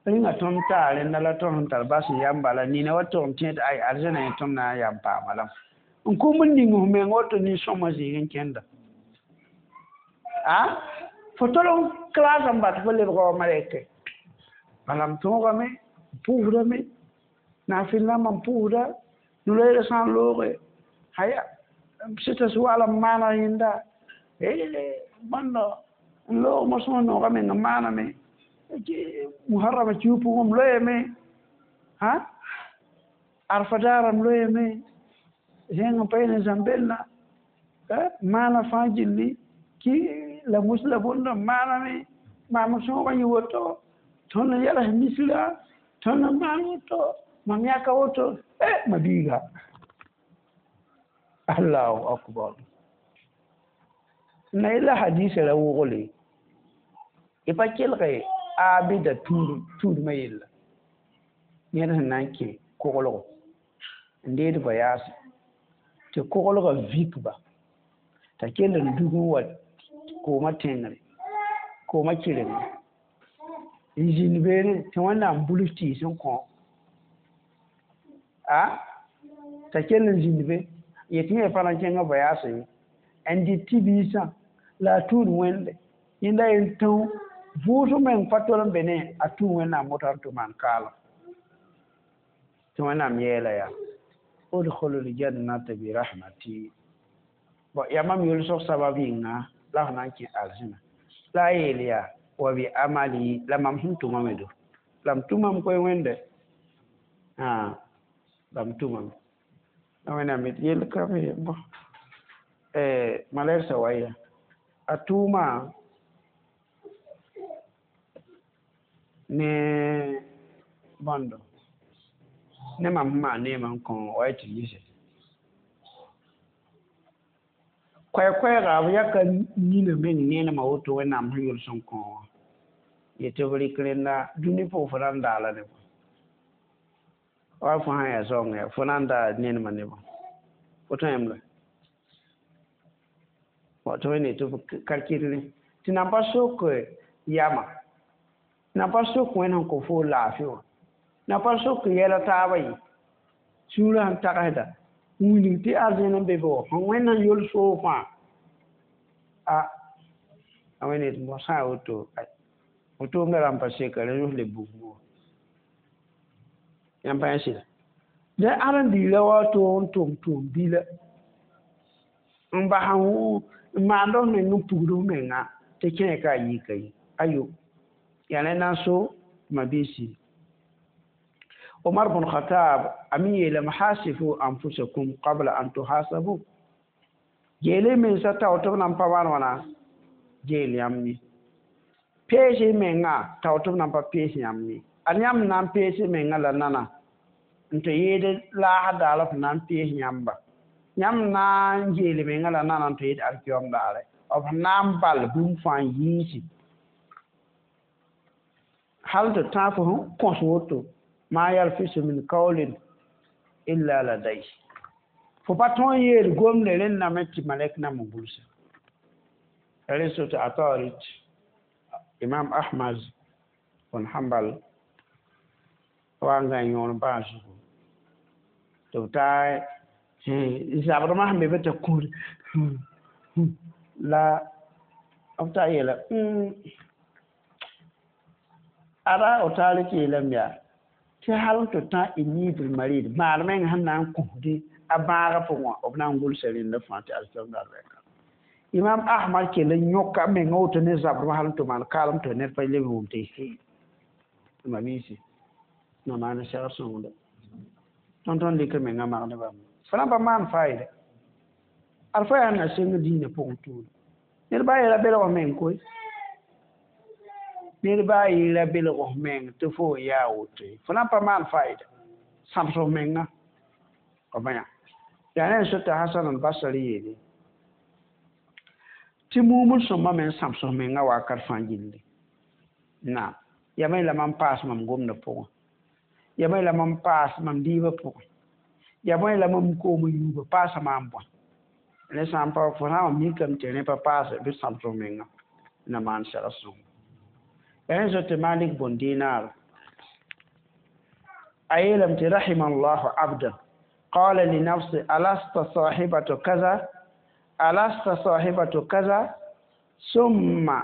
rẽnga tõnd taa rẽnda la tõnd sẽn tar bas n yam bala nina wa tog n tẽed ay arzãna yẽ tõnd na n yam paama lame n kom n ning f meng woto nin-sõma zĩig n kẽnda a fo tol n claas n bat fo lebga wa malɛke bala m tõogame n pʋʋsdame naafɩl rãmbã n pʋʋsda no-loeerã sã n looge haya sɩtas waala n maana yẽnda bõndo n loog mosmã noogã meng n maaname muharrama kiu pʋgẽ m loeeme hã arfa daarã m loeeme zẽng n pa yel n zãm-bellã maana fãa gilli ki la mus la bõnd n maaname maam sõogã yɩ woto tõnd n yɛls misrã tõnd n maan woto mam yãka woto e ma biiga allahu akbar na yella hadisa ra wogle y pa kelge abida tuudmã yella ned sẽn na n kẽ koglgo n deed voyage tɩ koglgã vikba t'a kell n dug n wa koomã tẽngre koomã kɩrengẽ n zĩnd beene tɩ Wẽnnaam buls tɩɩs n kõ a t'a kell n zĩnd be yetɩ yẽ pa na n kẽngã voyage ye n dɩt tɩ-biisã la a tũud wẽnde yẽnda yen tão vʋʋsg meng pa tol n be ne a tũu Wẽnnaam woto n tɩ maan kaalem tɩ Wẽnnaam yeela yaa udkhulu ljannata bi rahmati bon yaa mam yʋlsg sabab yĩnga la f na n kẽ arzẽna la a yeel yaa wa bi amali la mam sẽn tʋmame do la m tʋmame koe wẽnde la m tʋmame la Wẽnnaam yet yell ka be bõ malɛgsã wa yaa a tʋʋma ne bõndo ne mam sẽn maan neemã n kõ wa tɩ yise koɛɛ-koɛɛga b yaka nina meng neenemã woto Wẽnnaam sẽn yols n kõ wã yetɩ b rɩk rẽnda dũni pʋgẽ fo na n daala ne bõe wa fo sã n yaa zaoongã yaa fo na n daa nenemã ne bõe fo tõe la tɩ wẽnd tɩ b kalkɩl tɩ nan pa sok yama nan pa sok wẽnd sẽn kõ fo laafɩ wã nan pa sok yɛla taabã ye sũurã sẽn tagsda n wilg tɩ arzẽn n be be wã sẽn wẽnd sẽn yols foo fãa a a wẽnd yetɩ bõ sã n woto fo tʋʋmdã rãmb pa seka rẽ yõs le bugmo wã yãmb pa yã sɩda la ãdem-biirã wa toog n tʋm tʋʋm bila n bas n maand f meng n pugd f menga tɩ kẽe ka a yika ye ayo yaa rẽnd n so ma-biisi Omar bn Khattab a me yeelame hasifu anfusakum qabla an tuhasabu geele mensã tao tɩ b na n pa maan wãna geel yãmb ye pees y menga tao tɩ b na n pa pees yãmb ye ad yãmb na n pees y menga la nana n tɩ yeed laasd daar f na n pees yãmba yãmb na n geel menga la nana n tɩ yeed alkiyom daare b na n bal bũmb fãa n yiisi hal tɩ tãag fo sẽn kõs woto ma yalfisu min qawlin illa ladayhi fo pa tõe n yeel gomde rẽndame tɩ malɛk nam n gʋlsa rẽ sot Atarit Imam Ahmad bn Hanbal wa n gã yõor bãag zugu tɩ b taa zabdmã sẽn be be tɩ kũud la b taa yeela ada o taar tɩ yeelame yaa Tɩ hal n tɩ tã inibl marid maad meng sẽn na n kõsdɩ a bãagã pʋgẽ wã b na n gʋlsa rẽndã fãa tɩ alislam daar rɛka imam ahmad kell n yõka menga woto ne zabrem hal n tɩ maan kaalem tɩ ned pa leb wʋm tɩ he ma biisi na maan segr sõngda tõnd tõnd dɩk menga magd bãmb fo na pa maan faɩda ad fo yaa na sẽng diinã pʋgẽ tuuda ned baa yeela belg meng koe ned baa yeela belg meng tɩ fo yaa woto ye fo na pa maan faɩda sãbs f menga b yã yaa ne n sota hasan al-basri yeele tɩ mumd sõmba me n sãbs f menga wakat fãa gilli naam ya me la mam paas mam gomdã pʋgẽ ya me la mam paas mam dɩɩbã pʋgẽ ya me la mam koom yuuba paasa maam bõe ne sã n pa fo sã n wa mikame tɩ rẽ pa paase bɩ sãbs f menga na maan segr sõng ya ne tɩ malik bun dinar a yeelame tɩ rahima llahu abdan qala li nafsi alasta sahibatu kaza alasta sahibatu kaza summa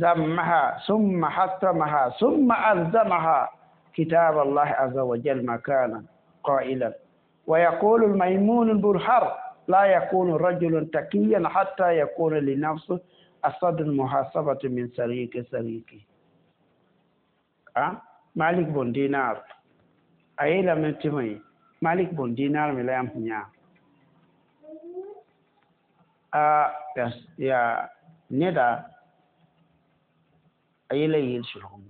zammaha summa hattamaha summa alzamaha kitab allah aza wa jal makana qailan ويقول الميمون برحر لا يكون رجل تقيا حتى يكون لنفسه أصد المحاسبة من سريك سريكه أه؟ مالك بن دينار أي لم تمي مالك بن دينار من لا يمحنيا آه يا ندا أي لا يلشلهم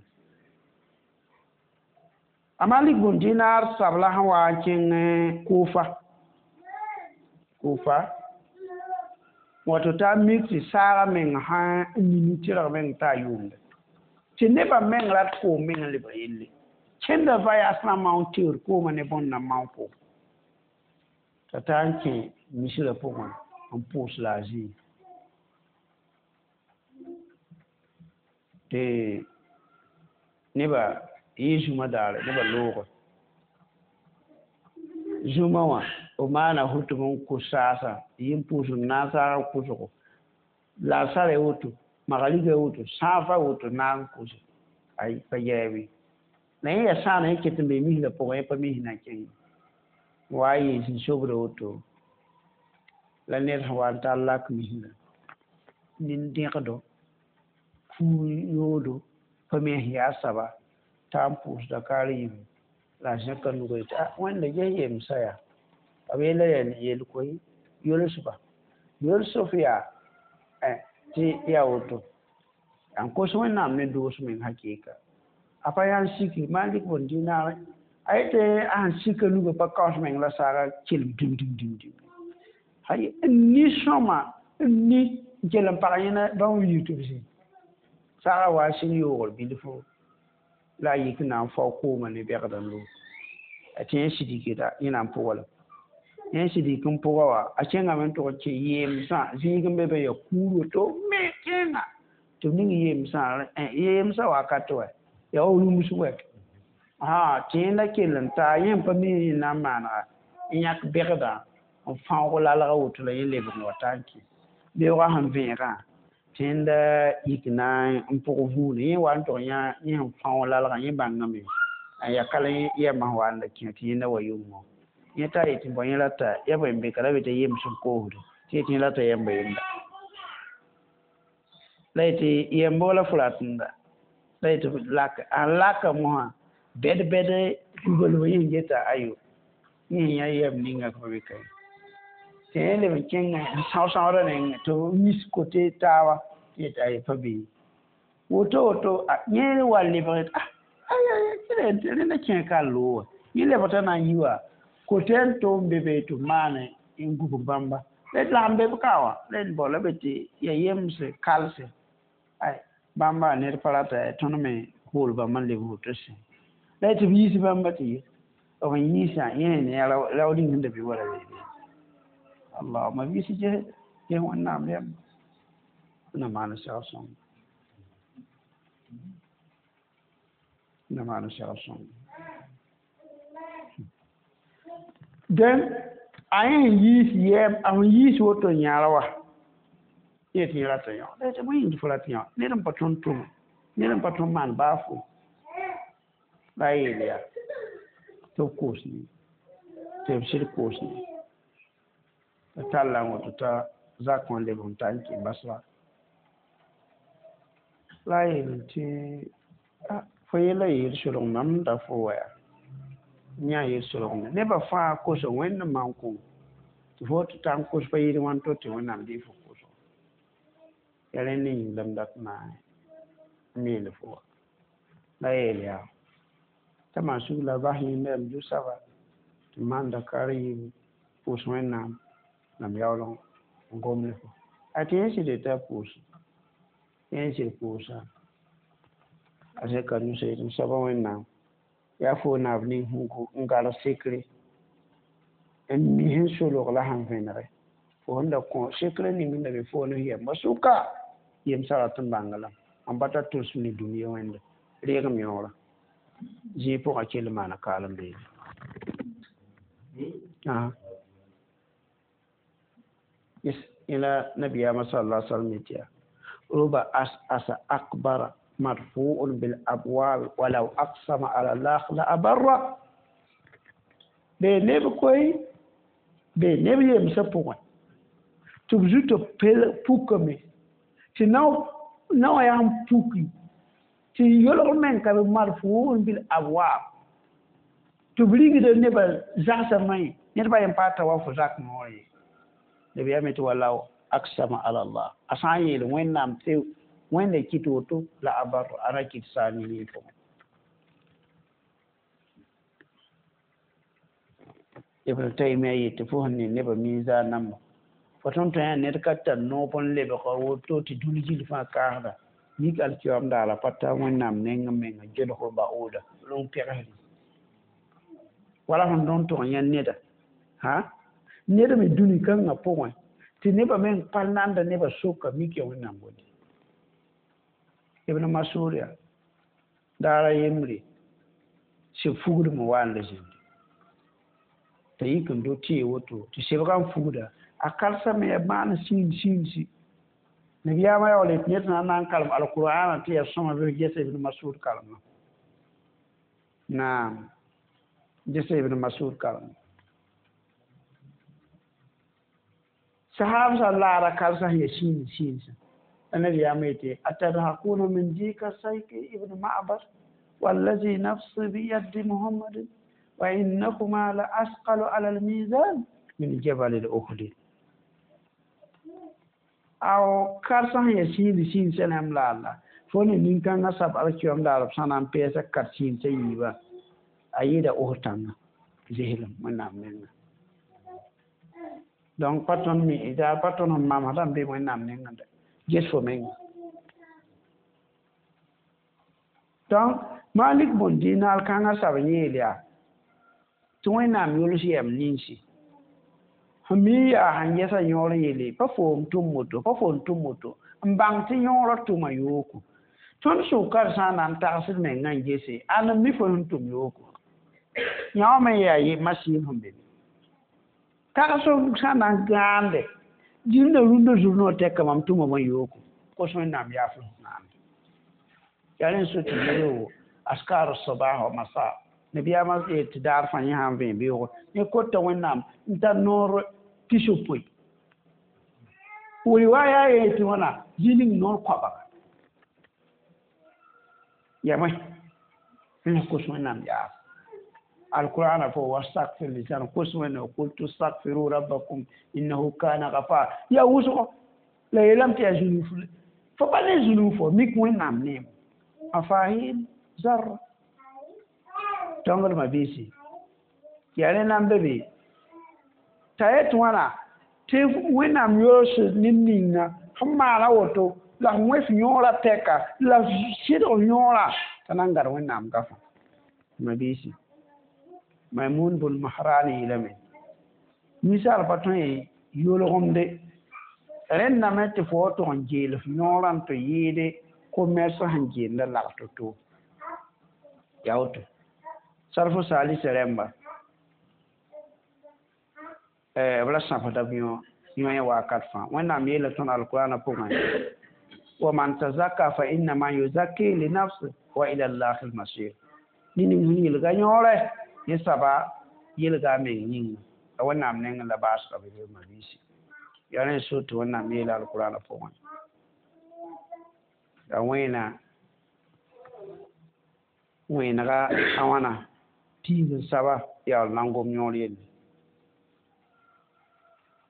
a malik bun dinar sabla sẽn wa n kẽng kufa kufa wato t'a mik tɩ saaga meng sã n nini tɩrg meng t'a yʋʋmde tɩ nebã meng rat koom meng n lebg yelle kẽnda vayas na maoon teoor koomã ne bõnd na maoon koom t'a taa n kẽ misrã pʋgẽ n pʋʋs la a zĩig tɩ nebã yɩ zũma daare nebã looge zũma wã b maana hutm n kʋ saasã yɩ n pʋʋs n naag saagã kʋsgo laasara woto magriga woto sãafa woto naag n kʋse ay pa yɛɛbe la yẽ yaa sãana yẽ ket n be misrã pʋgẽ yẽ pa mis na n kẽng wa a yɩ zĩ-sobra woto la ned sẽn wa n tar lak misrã nin-dẽgdo fuur yoodo pa me sẽn yaa saba t'a n pʋʋsda kaar yĩm la a zẽka nuga yetɩ a wẽnda ges yemsã yaa b yeela yaa yel koe yolsba yols f yaa tɩ yaa woto n kos wẽnnaam ne doos meng hakɩɩka a pa yaa n siki malik bun dinaar a yetɩ a sẽn sika nuga pa kaoos meng la saaga kelem dim dim dim dim hay n ni sõma n ni n kell n pag yẽna bãmb yik tɩ b zĩ saaga wa sɩng yoogr bilfo la a yik n na n fao koomã ne bɛgd n loog a tɩ yẽ sidikda yẽ na n pʋga la yẽ sidik n pʋga wa a kẽngame n tʋg n kẽ yeemsã zĩig n be be ya kuur woto me kẽnga tɩ b ning yeemsã yeemsã wakat wɛ yaa wa rũms wɛ tɩ yẽnda kell n taa yẽ n pa mi yẽ na n maanega n yãk bɛgdã n fãoog lalga woto la yẽ lebg n wa taa n kẽ beoogã sẽn vẽegã tɩ yẽnda yik na n pʋg vũune yẽ wa n tʋg yã yẽ sẽn fãoog lalgã yẽ bãngame n ya kala yɛmã sẽn wa n la kẽ tɩ yẽnda wa yʋngo yẽ t'a yetɩ bõ yẽ rata ya bõe n be ka ra be t'a yems n koosde tɩ yetɩ yẽ rata yɛmba yenda la yetɩ yɛmbo la fo ratenda la yetɩ lak a laka mosã bɛd bɛd kugalb yẽ geta ayo yẽ yã yɛm ninga ka be ka tɩ yẽ leb n kẽnga n são-sãoodã nengẽ tɩ b wis kote taaba tɩ yetɩ aye pa be woto woto yẽ wa lebg ah rẽnda kẽ ka loog wa yẽ lebg t'a na n yi wa kote n tʋm be be tɩ b maane n gubg bãmba la d lagm be b ka wã la d bao la be tɩ ya yemse kalse ay bãmba ned pa rata tõnd me kool bãmb n leb woto sẽ la tɩ b yiis bãmba tɩ ye b n yiisã yẽ ne raood ning sẽn da be wala beebe allahuma biisi ges ges wẽnnaam yãmba na maan segr sõng na maan segr sõng dẽn a yẽ n yiis yɛɛm a sẽn yiis woto n yãara wa yẽ tɩ yẽ rata yõ la tɩ bõe yĩng tɩ fo rat yõ ned n pa tõnd tʋme ned n pa tõnd maan baafo la a yeel yaa Tɩ b koos ne tɩ b sɩd koos ne t'a talla n woto t'a zak wã leb n ta n kẽ Basra la a yeel tɩ fo yella yeel solg mam da fo wa yaa yã yeel solgme nebã fãa kosa wẽnd n maan kõ tɩ fo tɩ ta n kos pa yɩɩd wãn to tɩ wẽnnaam dɩ fo koso yaa rẽnd yĩng la m dat n na n yeel fo wa la yeel yaa t'a maan sug la bas yẽnda yaa m zu-soaba tɩ m maan Dakar yiib pʋʋs wẽnnaam la m yaool n gom ne fo a tɩ yẽ sɩd t'a pʋʋs yẽ sɩd pʋʋsa a zẽka nusã yetɩ m soaba wẽnnaam yaa fo naab ning sẽn gãrg sekre n mi sẽn solg la sẽn vẽnege fo sẽn da kõ sekre ning sẽn da be fo ne yɛmba sʋka yemsã rat n bãnga lame mam pa tar tʋlsem ne dũniyã wẽnde reegem yõora zĩig pʋgã kell n maana kaalem beene yẽla nabiyaamã sala alaihi wasallam yetɩ yaa ruba as'asa akbara marfu'un bil abwab walaw aqsama ala Allah la abarra be neb koy be neb yemsã pʋgẽ tɩ b zutã pukame tɩ nao wã yaa n puki tɩ yolg meng ka be marfu'un bil abwab tɩ b rigda nebã zagsã mãe ned ba yen pa ta wa fo zak noor ye nabiyaam yetɩ walaw aqsama ala Allah a sã n yeel wẽnnaam tɩ wẽnda kɩt woto la abar a ra kɩt saa ne pʋgẽ Ibn Taymiya yetɩ fo sẽn ne nebã miizaan namba fo tõnd tõe yaa ned ka tar noob n lebg woto tɩ dũni gill fãa kaasda mik alkiyoam daara pa ta wẽnnaam neng n menga gelg baooda rũng pɛgsd wala sẽn tõnd tʋg n yã neda ha ned me dũni kãngã pʋgẽ tɩ nebã meng pa nanda nebã soka mik ya wẽnnaam bondi Ibn Mas'ud yaa daara yembre seb fugdme wa n la zĩndi t'a yik n do tɩ woto tɩ sebgã n fugda a karsame yaa maan siin siinsi nabiyaamã yaool yetɩ ned sã n na n kalem alqur'ana tɩ yaa sõma bɩ gesa Ibn Mas'ud kalema naam gesa Ibn Mas'ud kalema sahab sã laara karsa sẽn yaa siin siinsã nabiyaamã yetɩ atadhakuna min dika sayki Ibn Ma'bad wallazi nafsi biyadi Muhammadin wa innahuma la asqalu ala almizan min jabal al-Uhud aw karsa sẽn yaa siindi siinsã yãmb laala fo ne nin-kãngã sab alkiyom daar b sã na n peesa kat siinsã yiibã a yɩɩda Uhud tãngã zeslem wẽnnaam menga donc pa tõnd mi daa pa tõnd sẽn mamsdã n be wẽnnaam nengẽ de ges fo menga donc Malik bun Dinar kãngã sab yeel yaa tɩ wẽnnaam yols yɛm ninsi sẽn mi yaa sẽn yɛsã yõor yeele pa foom tʋm moto pa foom tʋm moto n bãng tɩ yõorã tʋma yooko tõnd sʋka d sã n na n tagsd mengã n gese ãn n mi fo sẽn tʋm yooko yã wã me yaa masiim sẽn be tags sã n na n gãande dĩnda rũndã zug noor tɛka mam tʋma bõe yooko kos wẽnnaam yaaf n sãamde yaa rẽ n so tɩ yel askar sabah wa masa nabiyaamã yeel tɩ daar fãa yẽ sã n vẽe beoogo yẽ kota wẽnnaam n tar noor pisopoe riwaya yetɩ wãna zĩ ning noor koabga yamẽ n kos wẽnnaam yaaf alqur'ana fo wastagfir lisan kos wẽnnaam qultu stagfiru rabbakum innahu kana ghafar yaa wʋsgo la yeelame tɩ yaa zũnug fo pa ne zũnug fo mik wẽnnaam neem mafahim zarra tõngdmã biisi yaa rẽ na n be be t'a yet wãna tɩ wẽnnaam yols ned ninga sẽn maana woto la f wẽ f yõorã tɛka la f sɩdg yõorã t'a na n gãd wẽnnaam gafã ma biisi Maimun bun Mahran yeelame ninsaal pa tõe yolgemde rẽndame tɩ fo wa tʋg n geel f yõorã n tɩ yɩɩde commerce sẽn geenda lagf to-to yaa woto salfo saalisa rẽmba b ra sãbsda b yõ wakat fãa wẽnnaam yeela tõnd alqurana pʋgẽ wa man tazakka fa innama yuzakki li nafsi wa ila llahi lmasir ned ning sẽn yelga yõore Yẽ saba yelga a meng yĩnga la Wẽnnaam nengẽ la baasgã be be mabiisi yaa rẽ so tɩ Wẽnnaam yeela alkurana pʋgẽ la wẽena wẽenega a wãna piig n saba yaool na n gom yõor yelle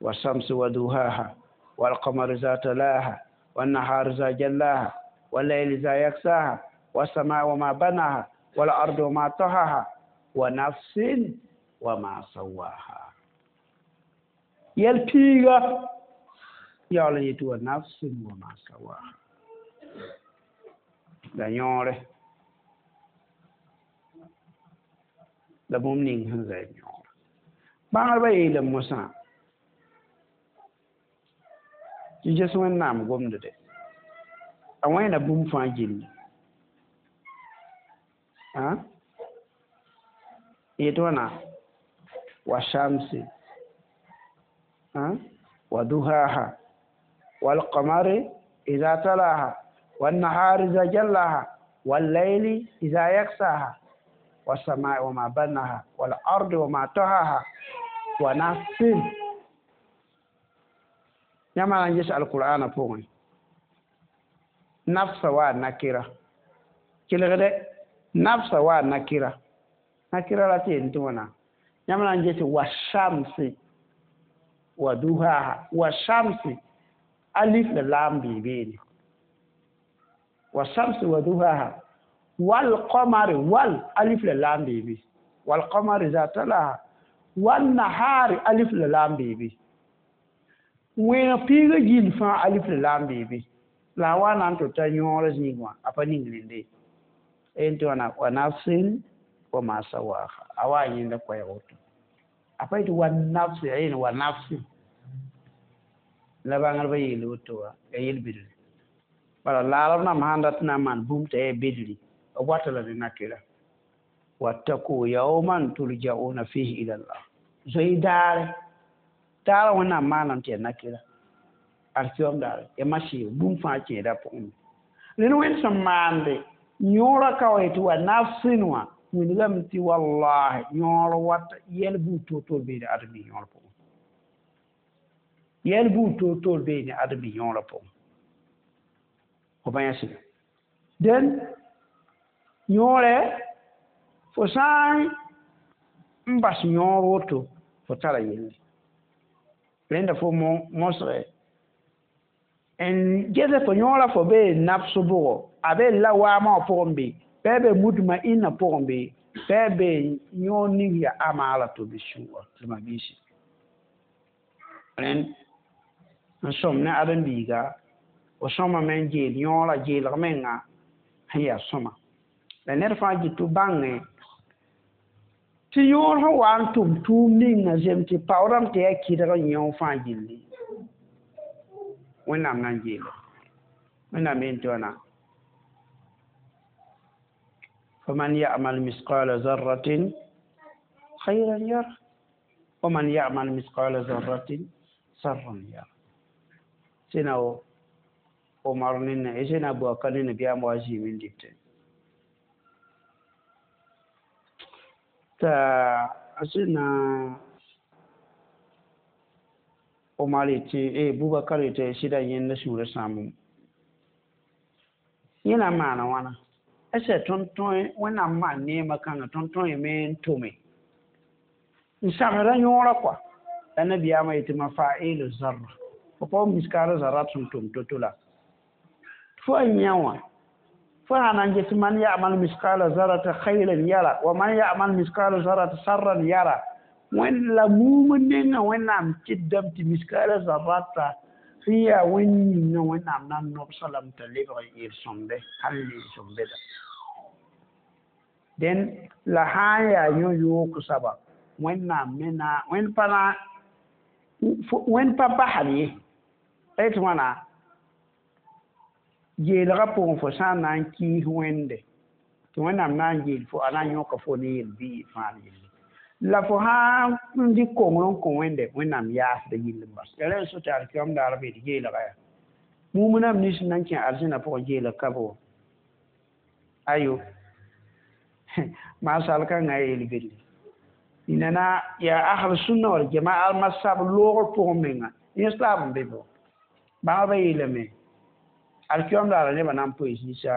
والشمس وضحاها والقمر إذا تلاها والنهار إذا جلاها والليل إذا يغشاها والسماء وما بناها والأرض وما طحاها ونفس وما سواها yɛl piiga yaool n yetɩ wa nafsin wa ma sawaha la yõore la bũmb ning sẽn zɛɛd yõora bãngdbã yeelame mosã tɩ ges Wẽnnaam gomde de a wẽena bũmb fãa gilli yetɩ wãna wa shamsi wa duhaha والقمر إذا تلاها والنهار إذا جلاها والليل إذا يغشاها والسماء وما بناها والأرض وما طحاها ونفس yãmb na n ges alqur'ana pʋgẽ nafsa waa nakira kelgde nafsa waa nakira nakira la tɩ yen tɩ wãna yãmb na n ges wa shamsi wa duhaha wa shamsi alif la lam bɩ beene wa shamsi wa duhaha wal qamari wal alif la lam bɩ be wal qamari za talaha wal nahari alif la lam bɩ be wẽneg piiga gill fãa alif la lam bɩ be la a wa na n tɩ ta yõor zĩig wã a pa ning rẽnde n tɩ wãna wa nafsin wa ma sawaha a wa yẽnda koɛɛg woto a pa yetɩ wa nafsi a yeel wa nafsin la bãngdbã yeel woto wã ya yel-bidri bala laarb nãmb sãn dat n na n maan bũmb t'a yaa bidri b wata la ne nakɩra wattaku yawman turja'una fihi ila llah zoe daare daara Wẽnnaam maanam tɩ yaa nakɩra alkiyom daare ya masɩɩg bũmb fãa kẽeda pʋgẽ rẽnd Wẽnd sẽn maande yõorã ka wa yetɩ wa nafsin wã wilgame tɩ wallahi yõor wat yɛl buud toor-toor beene ãdem-biis yõor pʋgẽ yɛl buud toor-toor beene ãdem-biis yõorã pʋgẽ fo pa yã sɩda dẽn yõorɛ fo sã n bas yõor woto fo tara yelle rẽnda fo mosge n gese fo yõorã fo bee nafs bʋgɔ a be lawaamã wã pʋgẽ be bɩ a be mutma'inna pʋgẽ be bɩ a be yõor ning yaa amaara to bɩ sũur tɩ mabiisi rẽnd n sõm ne ãdem-biiga fo sõmame n geel yõorã geelg menga sẽn yaa sõma la ned fãa gɩ tɩ bãnge tɩ yõor sẽn wa n tʋm tʋʋm ninga zem tɩ paoodame tɩ yaa kɩdg n yẽ fãa gilli Wẽnnaam na n geela Wẽnnaam yeel tɩ wãna faman ya'mal misqala zarratin khayran yara wa man ya'mal misqala zarratin sharran yara sẽna Omar nene sẽna Abubakar nene biyaam wa zĩim n dɩtẽ t'a sẽna Omar yetɩ Bubakar yetɩ sɩda yẽnda sũurã sãam yẽ na n maana wãna ese tõnd tõe Wẽnnaam maan neemã kãngã tõnd tõeme n tome n sagda yõorã kɔa la nabiyaamã yetɩ mafailu zarra fo pa miskaara zarra sẽn tʋm to-to la fo a yã wã fo sã na n ges man ya'mal miskala zarrata khayran yara wa man ya'mal miskala zarrata sharran yara wẽnd la muum nengã Wẽnnaam kɩtdame tɩ miskala zarrata sẽn yaa wẽnd yĩngã Wẽnnaam na n nobsã lame t'a lebg n yel-sõmde hal yel-sõmbeda dẽn la sã n yaa yõ-yoog soaba Wẽnnaam me na wẽnd pa na wẽnd pa basd ye la yetɩ wãna geelgã pʋgẽ fo sã n na n kɩɩs Wẽnde tɩ Wẽnnaam na n geel fo a na n yõka fo ne yel-biig fãa yelle la fo sã n dɩk kongr n kõ Wẽnde Wẽnnaam yaasda yill n bas ya rẽ n so tɩ alkiyom daar b yetɩ geelga yaa mumnam nins n na n kẽ arzẽna pʋgẽ geelg ka bo ayo maa sal-kãngã yel-bɩdre Nana ya ahl sunna wal jamaa al masab loogr pʋgẽ menga islam n be bɔ bãngba yeelame alkiyom daara nebã na n poe zĩisa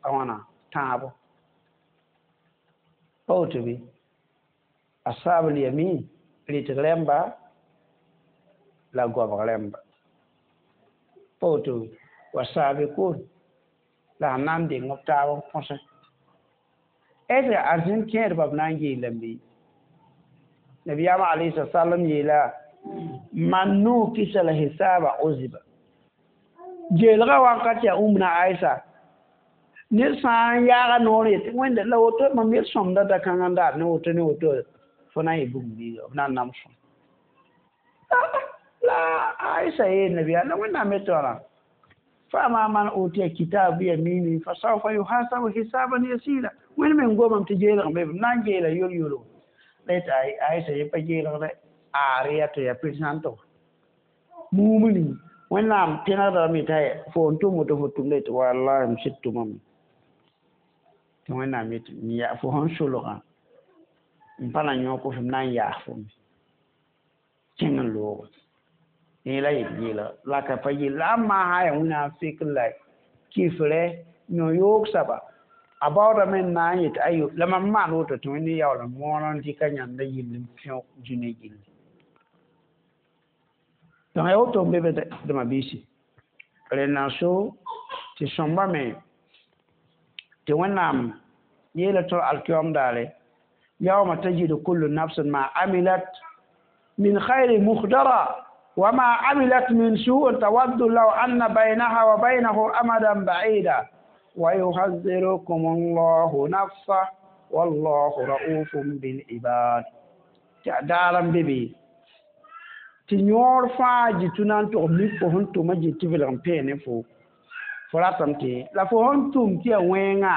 a wãna tãabo pa woto be ashabul yamin rɩtg rẽmba la goabg rẽmba pa woto wa sabiqun la sẽn na n deng b taab n põsẽ est ce que arzẽn kẽedbã b na n yeelame nabiyaamã alayhi salam yeela man nukisa la hisaba uziba jeelga wakat yaa ũmna Aisha ned sã n yaaga noor yetɩ wẽnda la woto mam yel sõmda da-kãngã n daar ne woto ne woto fo na n yɩ bugum biiga b na n nam sõm la Aisha yeel nabiyaam la wẽnnaam me tõra فأما من أوتي كتاب بيمينه فسوف يحاسب حسابا يسيرا وين من قوم تجيل غمب نان جيل يول يولو ليت أي أي سي بجيل غ آريا تو يا بيرسانتو مومني وين نام تنا رامي تاي فون تو موتو فوتو ليت والله مشتو مام وين نام يا فون شلوغا مبالا نيوكو فم نان يا فون كين لوغ la yel yeela la ka pa yel la n maa yaa wẽnnaam fik la kifrɛ yõ-yoog soaba a baoodame n na n yetɩ ayo la mam maan woto tɩ wẽnd yaool n moor n dɩka yãnda yill n pẽog dũniyã gilli donc ya woto n be be dẽma biisi rẽnd n so tɩ sõmba me tɩ wẽnnaam yeela tɩ alkiyom daare yawma tajidu kullu nafsin ma amilat min khayri muhdara وما عملت من سوء تود لو أن بينها وبينه أمدا بعيدا ويحذركم الله نفسه والله رؤوف بالعباد دارم بيبي tɩ yõor fãa jɩ na n tog mik fo sẽn tʋma jɩ tɩ vɩlg n peene fo fo ratame tɩ la fo sẽn tʋm tɩ yaa wẽnga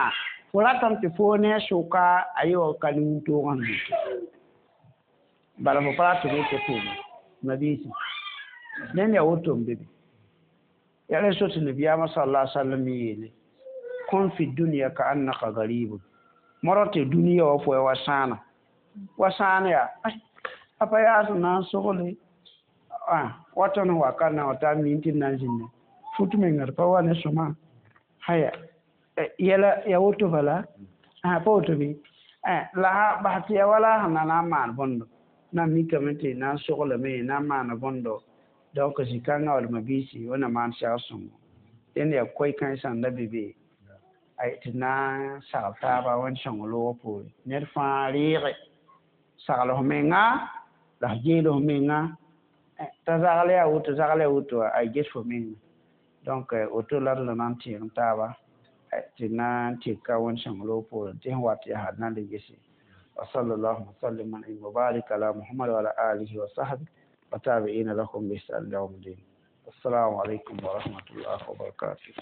fo ratame tɩ fo ne a sʋka a yɩ wa ka nin-toogã sẽn bala fo pa rat tɩ tɩ tʋʋma mabiisi ned yaa woto n be be yaa rẽ so tɩ nabiyaamã sala sallam yeele kun fi dunya ka annaka garibun modg tɩ dũniyã wã fo ya wa sãana wa sãan yaa a pa yaa sẽn na n sogle wa tõnd wa ka na wa taa mi tɩ d na n zĩnda fut menga d pa wa ne sõma haya yɛla ya woto bala pa woto bɩ la bas tɩ ya wala sẽn na na n maan bõndo na mikame tɩ na n soglame na n maana bõndo donc zĩ-kãngã wall mabiisi wẽnna maan segl sõngo dẽnd yaa koe-kãensã n da be be tɩ na n sagl taaba wẽnd sõng loogã poore ned fãa reege sagl f menga la f geel f menga t'a zagl yaa woto zagl yaa woto a ges fo menga donc woto la d la na n tẽeg taaba tɩ na n tɩka wẽnd sõng loog poore tɩ sẽn wat yaa na le gese وصلى الله وسلم وبارك على محمد وعلى آله وصحبه وتابعين لهم بإحسان إلى يوم الدين. السلام عليكم ورحمة الله وبركاته.